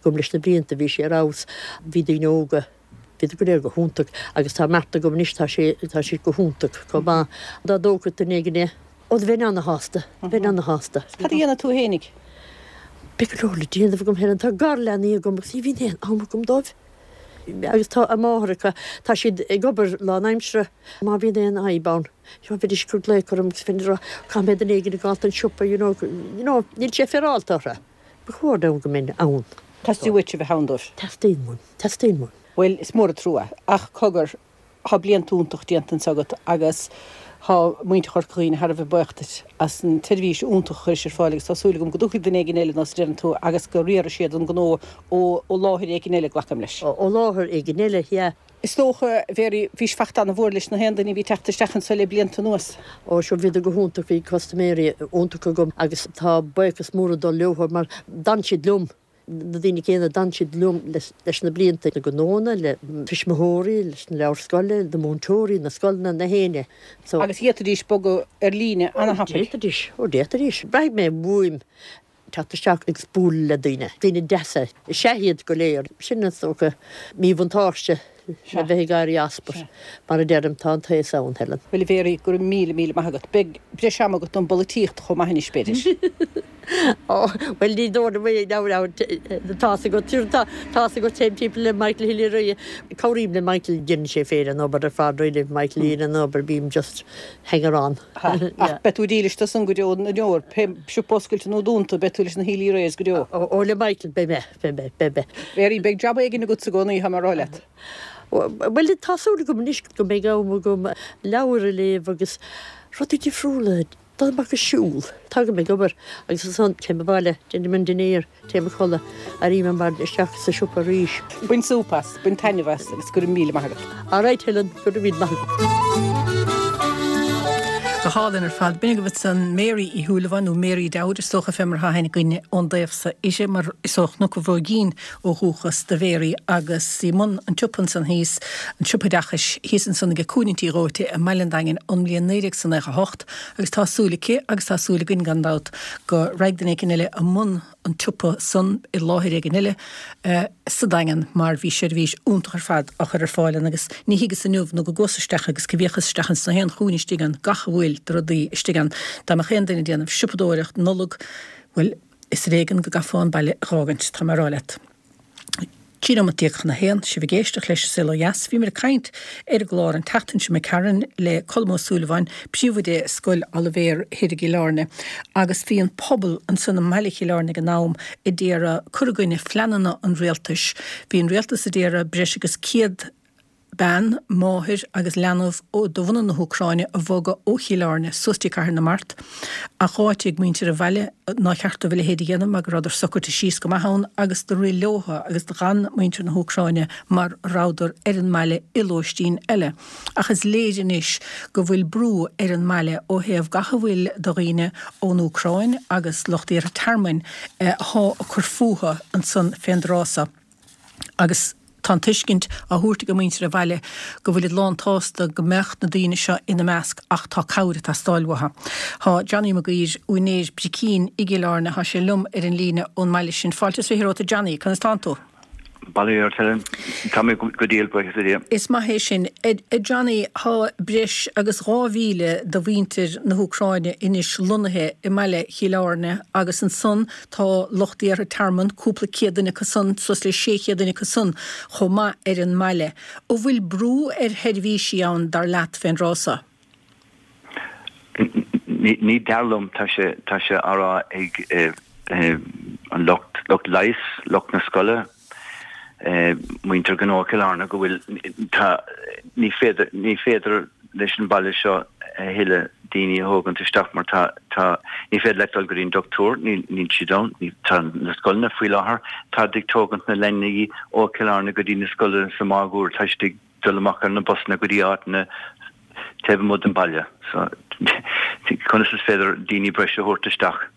agam leis na blianta, bhí sí ar fheabhas, bhí daoine óga, bhíodar go léir go hiontach agus tá Martha agam anois, tá sé, tá sí go hiontach chomh maith. Dá dtógfadh duine éigin é, Ó, bheinn ana-shásta, bheinn ana-shásta. Cad a dhéanfaidh tú fhéinig? Beidh go leor le déanamh agam, Helen. Tá garleanaí agam agus ní bhíonn aon am agam dóibh. Agus tá a máthaireacha, tá siad ag obair lánaimseartha. Má bhíonn aon fhadhb ann, you know, bheidís ag cur glaoch orm agus bheinn ag rá, caithfidh mé duine éigin a ghabháil don siopa, you know, you know, níl sé féaráilte orthu. Ba chóir dom go mbeinn ann. Teastaíonn uait a bheith ann dóibh. Teastaíonn uaim, teastaíonn uaim. Bhuel, is mór an trua. Ach cogar, Tá blianta iontach déanta anseo agat agus tá muintir Chorca Dhuibhne thar a bheith buíoch duit as an tseirbhís iontach a chuiris ar fáil agus tá súil agam go dtógfaidh duine éigin eile nós a deireann tú agus go riarfaidh siad an gnó ó láthair éigin eile, glacaim leis. Ó láthair éigin eile, yeah. Is dócha, a Mhary, bhís fachta ana-mhór leis na haon duine a bhí ag teacht isteach anseo le blianta anuas. Ó, sure, bhíodar go hiontach, bhí custaiméirí iontacha agam agus tá buíochas mór ag dul leo mar d'fhan siad liom. na daoine céanna, d'fhan siad liom leis na blianta, na gnónna, le tuismitheoirí, leis na leabhair scoile, na múinteoirí, na scoileanna, na héinne. So. Agus d'fhéadfaidís bogadh ar líne an-thapaidh. D'fhéadfaidís, ó d'fhéadfaidís. Braithfidh mé uaim teacht isteach agus bualadh le daoine, daoine deasa is ea iad go léir. Sin is dócha míbhuntáiste le bheith ag éirí as but mar a deirim, tá an t-aos ann, Helen. Bhuel, a Mhary, go raibh míle, míle maith agat. Beidh breis ama agat don bpolaitíocht chomh maith anois, b'fhéidir. Ó, bhuel, ní dóigh liom é, now, now, tá's agat, tá's agat, téim timpeall le Michael Healy-Rae, cabhraím le Michael, déanann sé féin an obair ar fad, really, Michael a dhéanann an obair, bím just hanger on. Ha, ach beidh tú dílis dó san go deo na ndeor, pé siopa oscailte nó dúnta, beidh tú leis na Healy-Raes go deo. Ó, ó, le Michael, beidh mé, beidh mé, beidh mé. Mary, beidh jab éigin agatsa i gcónaí, tá mé a rá leat. Bhuel, tá súil agam anois go mbeidh am agam leabhair a léamh agus rudaí difriúla Dul amach ag siúl. Tagaim ag obair agus ansan téim abhaile, déanaim an dinnéar, téim a chodladh, éirím ar maidin isteach sa siopa arís. Bain súp as, bain taitneamh as agus go raibh míle maith agat. Alright Helen, go raibh míle maith agat. Go. hálainn ar fad. B'in agaibh ansan Mary Uí Shúilleabháin, nó Mary Dowd is dócha fé mar atá aithne againne ón dtaobh so uirthi, mar is ó Chnoc an Bhróigín ó dhúchas do Mhary agus í mbun an tsiopa ansan thíos, an siopa oideachais thíos ansan aige Cúinne an Tí Dhóite i mBaile an Daingin ón mbliain 1998 agus tá súil aici agus tá súil againn gan dabht go raghaidh duine éicin eile i mbun an tsiopa san i láthair éigin eile sa Daingean mar bhí seirbhís iontach ar fad á chur ar fáil ann agus ní thuigeas inniu nó go gcuas isteach agus go bhféachas isteach ins na haon chúinne istigh ann gach a bhfuil de rudaí istigh ann. Dá mbeadh aon duine ag déanamh siopadóireacht Nollag, bhuel, is ar éigean go gcaithfeá an baile a dh'fhágaint, tá mé a rá leat. 13 nóimeat chun a haon, sibh ag éisteacht leis An Saol Ó Dheas. Bhíomar ag caint ar an gclár an tseachtain seo imigh tharainn le Colm Ó Súilleabháin, príomhoide Scoil Oilibhéir thoir i gCill Airne, agus bhí an pobal ansan i mbaile Chill Airne ag an am a d'iarraidh cur i gcoinne phleananna an rialtais. Bhí an rialtas a d'iarraidh breis agus 100 bean, máthair agus leanbh de bhunadh na hÚcráine a bhogadh ó Chill Airne suas dtí Cathair na Mart, ach dh'áitigh muintir an bhaile nár cheart dóibh a leithéid a dhéanamh mar go rabhadar socraite síos go maith ann agus do rith leotha agus d'fhan muintir na hÚcráine mar a rabhadar ar an mbaile i lóistín eile. Ach is léir anois go bhfuil brú ar an mbaile ó thaobh gach a bhfuil de dhaoine ón Úcráin agus lucht iarrtha tearmainn athá ag cur fúthu ansan fén dtráth so. Agus tá an tuiscint á thabhairt ag muintir an bhaile go bhfuilid lán tsásta go mbeadh na daoine seo ina measc ach tá cabhair ag teastáil uathu. Tá Johnny Mac Uidhir, úinéir Bricín i gCill Airne, tá sé liom ar an líne ón mbaile sin. Fáilte is 20 romhat a Johnny, conas tánn tú? Bail ó Dhia ort Helen. Tá mé go diail, buíochas le Dia. Is maith é sin. A Johnny, tá breis agus 2,000 de mhuintir na hÚcráine anois lonnaithe i mbaile Chill Airne agus ansan Tá lucht iarrtha tearmainn, cúpla céad duine acu san, suas le 600 duine acu san chomh maith ar an mbaile. An bhfuil brú ar sheirbhísí ann, dar leat, fén dtráth so? Ní dar liom, tá sé, tá sé á rá ag an lucht, lucht leighis, lucht na scoile, muintir gnó Chill Airne go bhfuil, tá, ní féidir, ní féidir leis an baile seo a thuilleadh daoine a thógaint isteach mar tá, tá, ní féidir leat dul go dtí an doctúir, níl, níl siad ann, ní, tá na scoileanna faoi láthair, táid ag tógaint na leanaí ó Chill Airne go dtí na scoileanna sa máguaird, tá siad ag dul amach ar na busanna go dtí áiteanna taobh amuigh den baile. So, conas is féidir daoine breise a thabhairt isteach?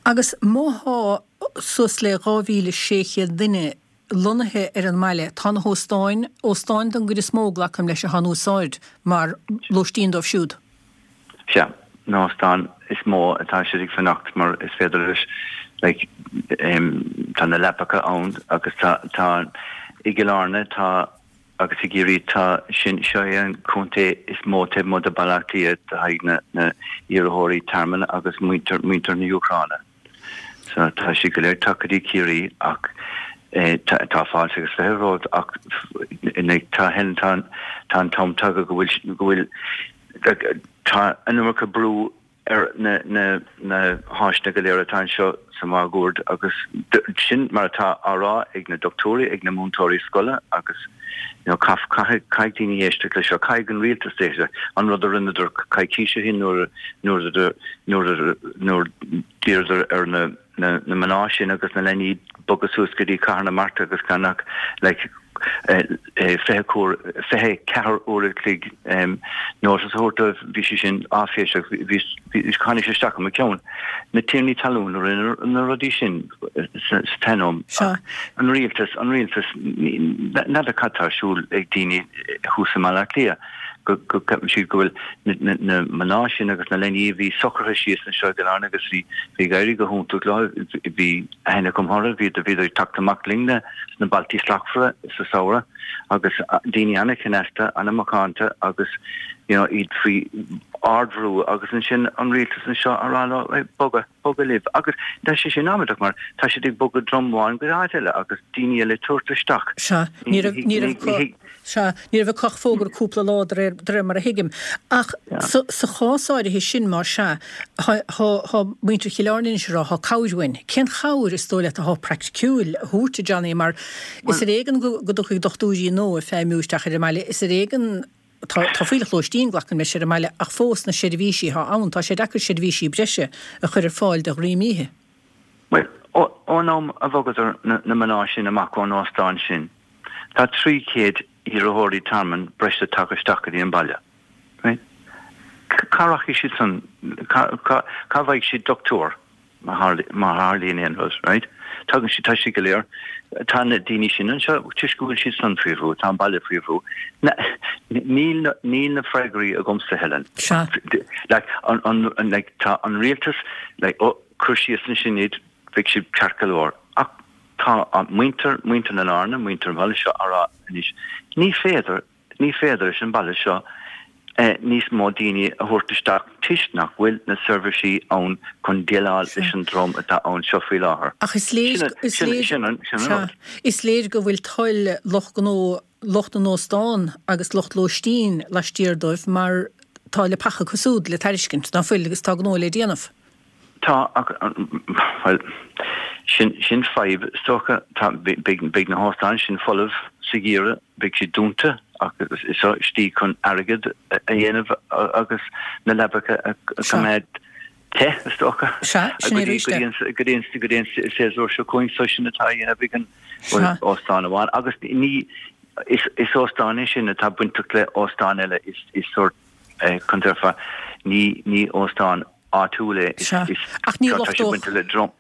Agus má thá suas le 2,600 duine lonnaithe ar an mbaile, tá na hóstáin, óstáin don gcuid is mó, glacaim leis, athá in úsáid mar lóistín dóibh siúd. Sea, na hóstáin is mó atá siad ag fanacht mar is féidir leis, like, tá na leapacha ann agus tá, tá, i gCill Airne tá, Agus i gCiarraí tá sin, seo é an contae is mó taobh amuigh de Bhaile Átha Cliath do haghaidh na na iarrthóirí tearmainn agus muintir muintir na hÚcráine. So tá siad go léir tagtha go dtí Ciarraí ach eh tá tá fáilte agus 20 romhat ach tá Helen tá tá an t-am tagtha go bhfuil go bhfuil tá an iomarca brú ar na háiseanna go léir atá anseo sa máguaird agus sin mar atá á rá ag na dochtúirí, ag na múinteoirí scoile agus you know caithfidh caithfidh daoine éisteacht leis seo, caithfidh an rialtas éisteacht, an rud a rinneadar coicís ó shin nuair nuair nuair nuair d'iarradar ar na na mná sin agus na leanaí bogadh suas go dtí Cathair na Mart agus gan ach like 24 uair a chloig notice a thabhairt dóibh, bhí sé sin áiféiseach, bhí, tháinig sé isteach i mo cheann. Na tiarnaí talún a rinne na rudaí sin sa t-am. An rialtas, an rialtas, n'fheadar cad tá ar siúl ag daoine thuas i mBaile Átha Cliath. go gceapann siad go bhfuil na mná sin agus na leanaí a bhí socraithe síos anseo i gCill Airne agus bhí ag éirí go hiontach leo, bhí aithne agam orthu, bhíodar ag teacht amach linn sna Bailtí Slachtmhara sa samhradh agus daoine an-chneasta, an-mhacánta agus you know iad faoi ardbhrú agus ansin an rialtas anseo a rá leo bogadh, bogadh libh agus tá sé sin amaideach mar tá siad ag bogadh dream amháin go áit eile agus daoine eile ag tabhairt isteach. Sea, ní raibh, ní raibh acu, sea, ní raibh acu ach fógra cúpla lá de réir, de réir mar a thuigim. Ach sa, sa chás áirithe sin, más ea, thá, thá, thá muintir Chill Airne anois ag rá, thá cabhair uainn. Cén chabhair is dóigh leat athá praiticiúil a thabhairt, a Johnny, mar is ar éigean go, go dtiocfaidh dochtúirí nua ag feidhmiú isteach ar an mbaile, is ar éigean, Tá fuílleach lóistín, glacaim leis, ar an mbaile ach fós na seirbhísí atá ann, tá sé deacair seirbhísí breise a chur ar fáil do dhream oíche. Bhuel, ón am a bhogadar na mná sin amach ón óstán sin, tá 300 iarrthóirí tearmainn breise tagtha isteach go dtí an baile. Right? Cá rachaidh siad san, cá bhfaighidh siad doctúir má tharlaíonn aon rud, right? Tagann siad, tá siad go léir, tá na daoine sin anseo toisc go bhfuil siad san faoi bhrú, tá an baile faoi bhrú. Níl níl na freagraí agamsa, Helen. Sea. Like, an, an, like, tá an rialtas, like, oh, cuir síos ansin iad, beidh siad ceart go leor. Ach tá muintir, muintir na Larna, muintir an bhaile seo á rá anois, ní féidir, Ní féidir leis an baile seo níos mó daoine a thabhairt isteach toisc nach bhfuil na seirbhísí ann chun déileáil leis an drong atá ann seo faoi láthair. Ach is léir, is léir, Sin an rud. is léir go bhfuil toil lucht gnó, lucht na n-óstán agus lucht lóistín laistiar dóibh mar tá leapacha acu siúd le tairiscint, ná fuil, agus tá gnó le déanamh. Tá, ach, bhuel, sin, sin fadhb, is dócha. Tá, beidh, beidh na hóstáin sin folamh sa gheimhreadh, beidh siad dúnta ach is seo slí chun airgead a dhéanamh agus na leapacha a choimeád te, is dócha. Sea, sin é arís é. Go dtí an, go dtí an séasúr seo chugainn, so sin atá á dhéanamh ag an, bhuel, óstán amháin agus ní, is, is óstán é sin atá bainteach le óstán eile, is, is sórt, conas a déarfá, ní, ní óstán áitiúil é, is, Sea, is, ach ní tá sé lochtódh, bainte le drong.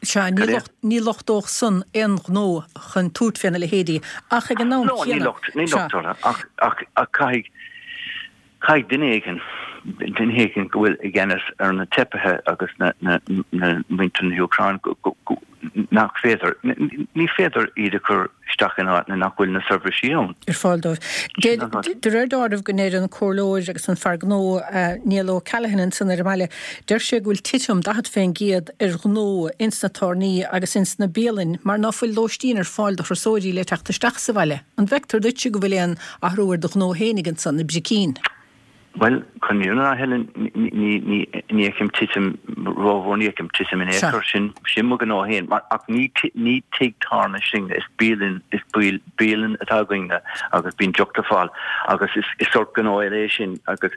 sea, ní Cad é? locht, ní lochtódh san aon ghnó chun tabhairt féna leithéidí, ach ag an am No, ní chéanna, locht, ní sea. locht orthu, ach, ach, ach caithfidh, caithfidh duine éigin, duine éigin go bhfuil i gceannas ar na teifigh agus na, na, na muintir na hÚcráine go, go, go, nach féidir, ní féidir iad a chur isteach in áit nach bhfuil na seirbhísí ann. ar fáil dóibh. De réir dealraimh go ndeir an comhairleoir agus an fear gnó Niall O'Callaghan ansan ar an mbaile, deir sé go bhfuil titim 40% ar ghnó ins na tábhairní agus ins na bialainn mar ná fuil lóistín ar fáil do thurasóirí le teacht isteach sa bhaile. An bhfeictear duitse go bhfuil aon athrú ar do ghnó fhéinig ansan i mBricín? Bhuel, chun an fhírinne a rá, Helen, ní fheicim titim rómhór, ní fheicim titim in aon chor. Sin sin mo ghnó féin. Mar, ach ní ní tigh tábhairne sinne, is bialann, is bialann atá againne agus bíonn deoch le fáil agus is is sórt gnó eile é sin agus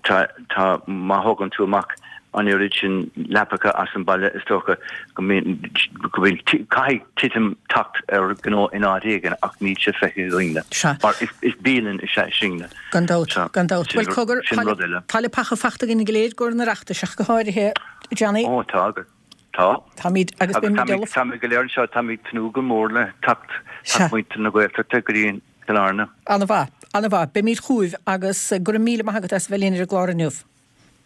tá tá má thógann tú amach an oiread sin leapacha as an baile is dócha go mbíonn go bhfuil caithfidh titim teacht ar ghnó in áit éigin ach níl sé feicthe againne. Sea. Mar is is bialann is ea sinne. Gan dabht, gan dabht. Sin Bhuel, cogar, sin rud eile. tá leapacha fachta againn go léir i gcomhair an Oireachtais ach go háirithe, Johnny. Ó, tá agat. Tá. Táimid agus Agus beimid táimid ullamh. táimid go léir anseo, táimid ag tnúth go mór le teacht Sea. teacht muintir na Gaeltachta go dtí an Cill Airne. Ana-mhaith, ana-mhaith. Beimid chugaibh agus go raibh míle maith agat as a bheith linn ar an gclár inniu.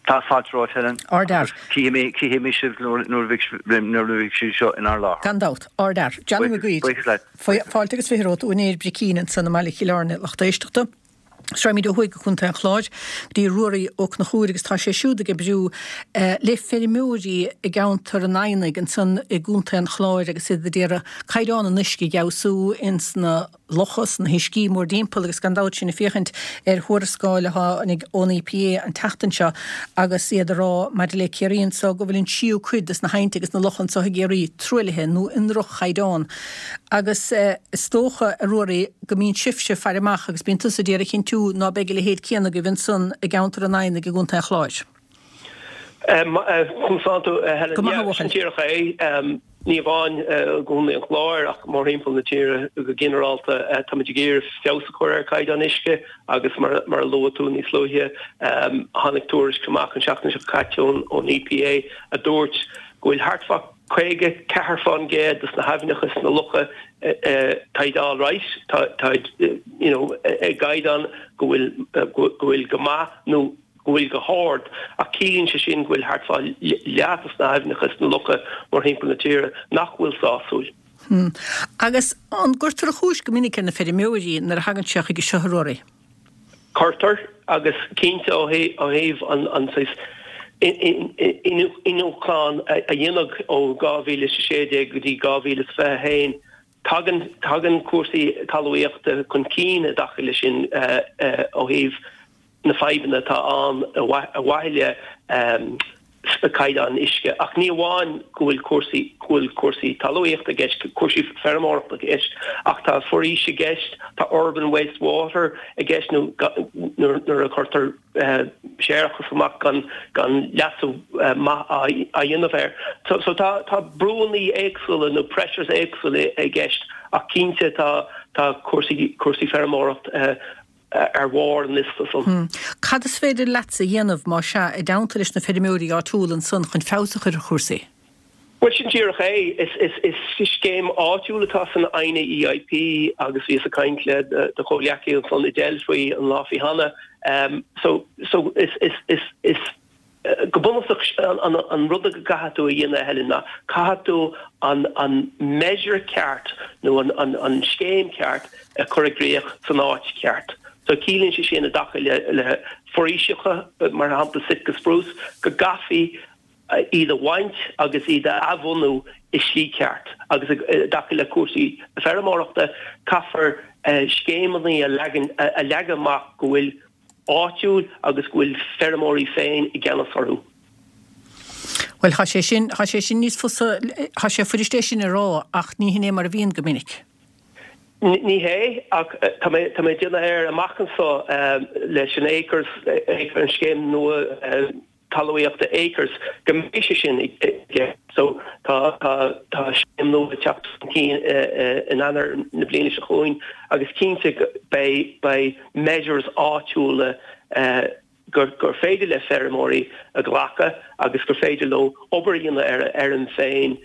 Tá fáilte romhat, Helen. Ardfhear. Agus cífidh mé, cífidh mé sibh nuair, nuair a bheidh, nuair a bheidh sibh seo inár láthair. Gan dabht. Ardfhear. Johnny Mac Uidhir. Buíochas leat. Fáilte agus 20 romhat, úinéir Bricín ansan i mbaile Chill Airne, lucht éisteachta. Rachaimid ó thuaidh go Contae an Chláir, go dtí Ruairí Ó Conchúir agus tá sé siúd ag oibriú le feirmeoirí i gceantar an Eidhneach ansan i gContae an Chláir agus iad ag iarraidh caighdeán an uisce a fheabhsú ins na locha, sna huiscí mórdtimpeall agus gan dabht sinn ag féachaint ar thuarascáil a tháinig ón EPA an tseachtain seo agus iad ag rá maidir le Ciarraí anso go bhfuil an tríú cuid des na haibhnte agus na locha anso i gCiarraí truaillithe nó i ndroch-chaighdeán. Agus is dócha, a Ruairí, go mbíonn sibhse ag faire amach agus bíonn tusa d'iarraidh a chinntiú ná beidh a leithéid céanna agaibh ansan i gceantar an Eidhneach i gContae an Chláir. Conas tánn tú, a Helen? Go maith, a Yeah, sin bhuachaill. díreach é. Ní amháin i gContae an Chláir ach mórthimpeall na tíre go ginearálta, táimid ag iarraidh feabhas a chur ar chaighdeán uisce agus mar a luaigh tú níos luaithe, tháinig tuairisc amach an tseachtain seo caite ón EPA a dúirt go bhfuil thart fá 54% de na haibhneacha is na locha táid alright, táid you know i gcaighdeán go bhfuil go bhfuil go maith nó go bhfuil go hard, ach ciallaíonn sé sin go bhfuil thart fá leath de na haibhneacha is na locha mórthimpeall na tíre nach bhfuil sásúil. Hmm. Agus an gcuirtear an chúis go minic ar na feirmeoirí nuair a thagann sé chuige seo, a Ruairí? Cuirtear, agus cinnte ó thaobh an saghas iniúchán a dhéanadh ó 2016 go dtí 2021, tagann tagann cúrsaí talmhaíochta chun cinn i dtaca leis sin ó thaobh na fadhbanna atá ann ar mhaithe le caighdeán uisce. Ach ní amháin go bhfuil cúrsaí go bhfuil cúrsaí talmhaíochta i gceist, cúrsaí feirmeoireachta i gceist, ach tá foraois i gceist, tá urban waste water i gceist nó nuair a chuirtear séarachas amach gan gan leasú maith á dhéanamh air. So tá tá brúanna éagsúla nó pressures éagsúla i gceist ach cinnte tá tá cúrsaí cúrsaí feirmeoireacht. Ar bharr an liosta san. Cad is féidir leatsa a dhéanamh, más ea, i dteannta leis na feirmeoirí áitiúla ansan chun feabhas a chur ar chúrsaí? Bhuel, sin díreach é. Is scéim áitiúil atá san Adhna EIP agus bhíos ag caint le do chomhghleacaí ansan Edel faoi an lá faoi cheana. So, so is, is, is, is. Go bunúsach, an rud a gcaithfidh tú a dhéanamh, a Helen, ná caithfidh tú an measure ceart nó an scéim ceart a chur i gcrích san áit cheart. So ciallaíonn sé sin i dtaca le foraoiseacha, mar shampla Sitka spruce, go gcaithfí iad a bhaint agus iad a athbhunú i slí ceart. Agus i dtaca le cúrsaí feirmeoireachta, caithfear scéimeanna a leagan amach go bhfuil áitiúil agus go bhfuil feirmeoirí féin i gceannas orthu. Bhuel, tá sé sin, tá sé sin níos fusa, tá sé fuirist é sin a rá ach ní hin é mar a bhíonn go minic. Ní hé, ach tá mé, tá mé ag déanamh air amach anso leis an Acres, an scéim nua, talmhaíochta Acres, go mbeidh sé sin i gceist. So tá tá scéim nua ag teacht chun cinn in Eanáir na bliana seo chugainn agus cinnte beidh beidh measures áitiúla gur gur féidir le feirmeoirí a ghlacadh agus gur féidir leo obair a dhéanamh ar a fheirm féin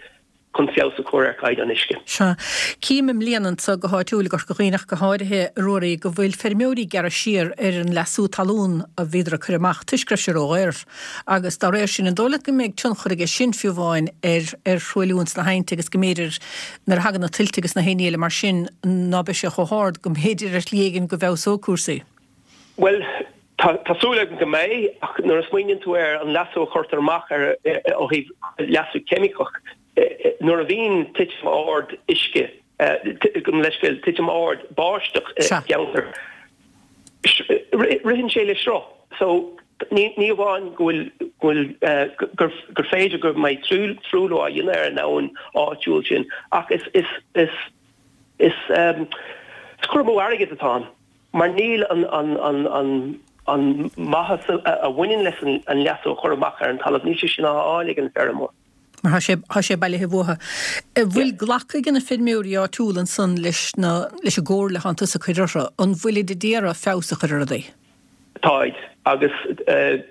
chun feabhas a chur ar chaighdeán uisce. Sea. Cím i mbliana anso go háitiúil i gCorca Dhuibhne ach go háirithe, a Ruairí, go bhfuil feirmeoirí ag gearradh siar ar an leasú talún a bhíodar ag cur amach toisc go raibh sé ródhaor. Agus dá réir sin, an dóigh leat go mbeidh tionchar aige sin fiú amháin ar ar thruailliú ins na haibhnte agus go mb'fhéidir nuair a thagann na tuilte agus na haon ní eile mar sin ná beidh sé chomh hard, go mb'fhéidir ar shlí éigin go bhfeabhsóidh cúrsaí? Bhuel, tá súil agam go mbeidh, ach nuair a smaoiníonn tú ar an leasú a chuirtear amach ar ó thaobh leasú ceimiceach, nuair a bhíonn titim ard uisce, gabh mo leithscéal, titim ard báisteach i gceantar, ritheann sé le sruth. So, ní amháin go bhfuil, go bhfuil, gur féidir go mbeidh truailliú á dhéanamh ar an abhainn áitiúil sin, ach is, is, is, is cur amú airgid atá ann. Mar níl an maitheas a bhaineann leis an leasú a chur amach ar an talamh, níl sé sin á fháil ag an bhfeirmeoir. Mar tá sé, tá sé bailithe uathu. An bhfuil glactha ag na feirmeoirí áitiúla ansan leis na, leis an gcomhairle atánn tusa ag cur orthu? An bhfuilid ag iarraidh feabhas a chur ar rudaí? Táid. Agus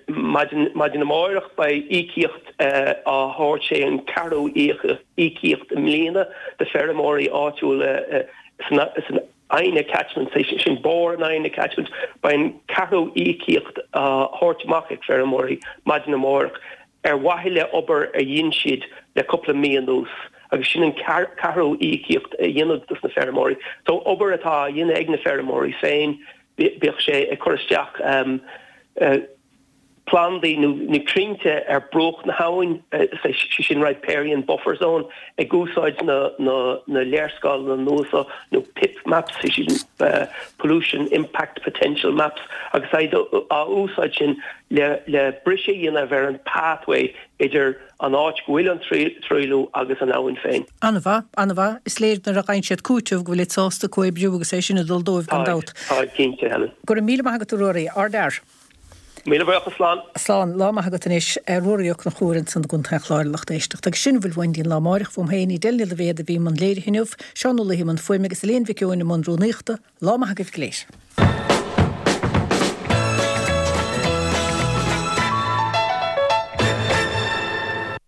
maidin, maidin amáireach beidh íocaíocht á thabhairt, sé an ceathrú íocaíocht i mbliana do feirmeoirí áitiúla san, Adhna Catchment, sé sin barr an Adhna Catchment. Beidh an ceathrú íocaíocht á thabhairt amach ag feirmeoirí maidin amárach ar mhaithe le obair a dhein siad le cúpla mí anuas agus sin an ceathrú íocaíocht a dhéanamh dos na feirmeoirí. So obair atá á dhéanamh ag na feirmeoirí féin, bíodh sé ag cur isteach plandaí nó crainnte ar bruach na habhann, sé sin riparian buffer zone, ag úsáid na léarscáileanna nua seo nó PIP maps, sé sin pollution impact potential maps, agus iad á úsáid sin le briseadh a dhéanamh ar an pathway idir an áit go bhfuil an truailliú agus an abhainn féin. An-mhaith, an-mhaith. Is léir nuair a fhaigheann siad cúiteamh go bhfuilid sásta comhoibriú agus é sin ag dul dóibh gan dabht. Táid, cinnte, Helen. Go raibh míle maith agat a Ruairí. Ardfhear. Míle buíochas, slán. Slán. Lá maith agat anois. Ruairí Ó Conchúir ansan i gContae an Chláir a lucht éisteachta. Agus sin a bhfuil uainn go dtí an lá amáireach. Uaim féin, Edel Ní Loibhéad a bhí i mbun léirithe inniu, Seán Ó Laoi i mbun fuaime agus Elaine Mhic Eoin i mbun rúnaíochta. Lá maith agaibh go léir.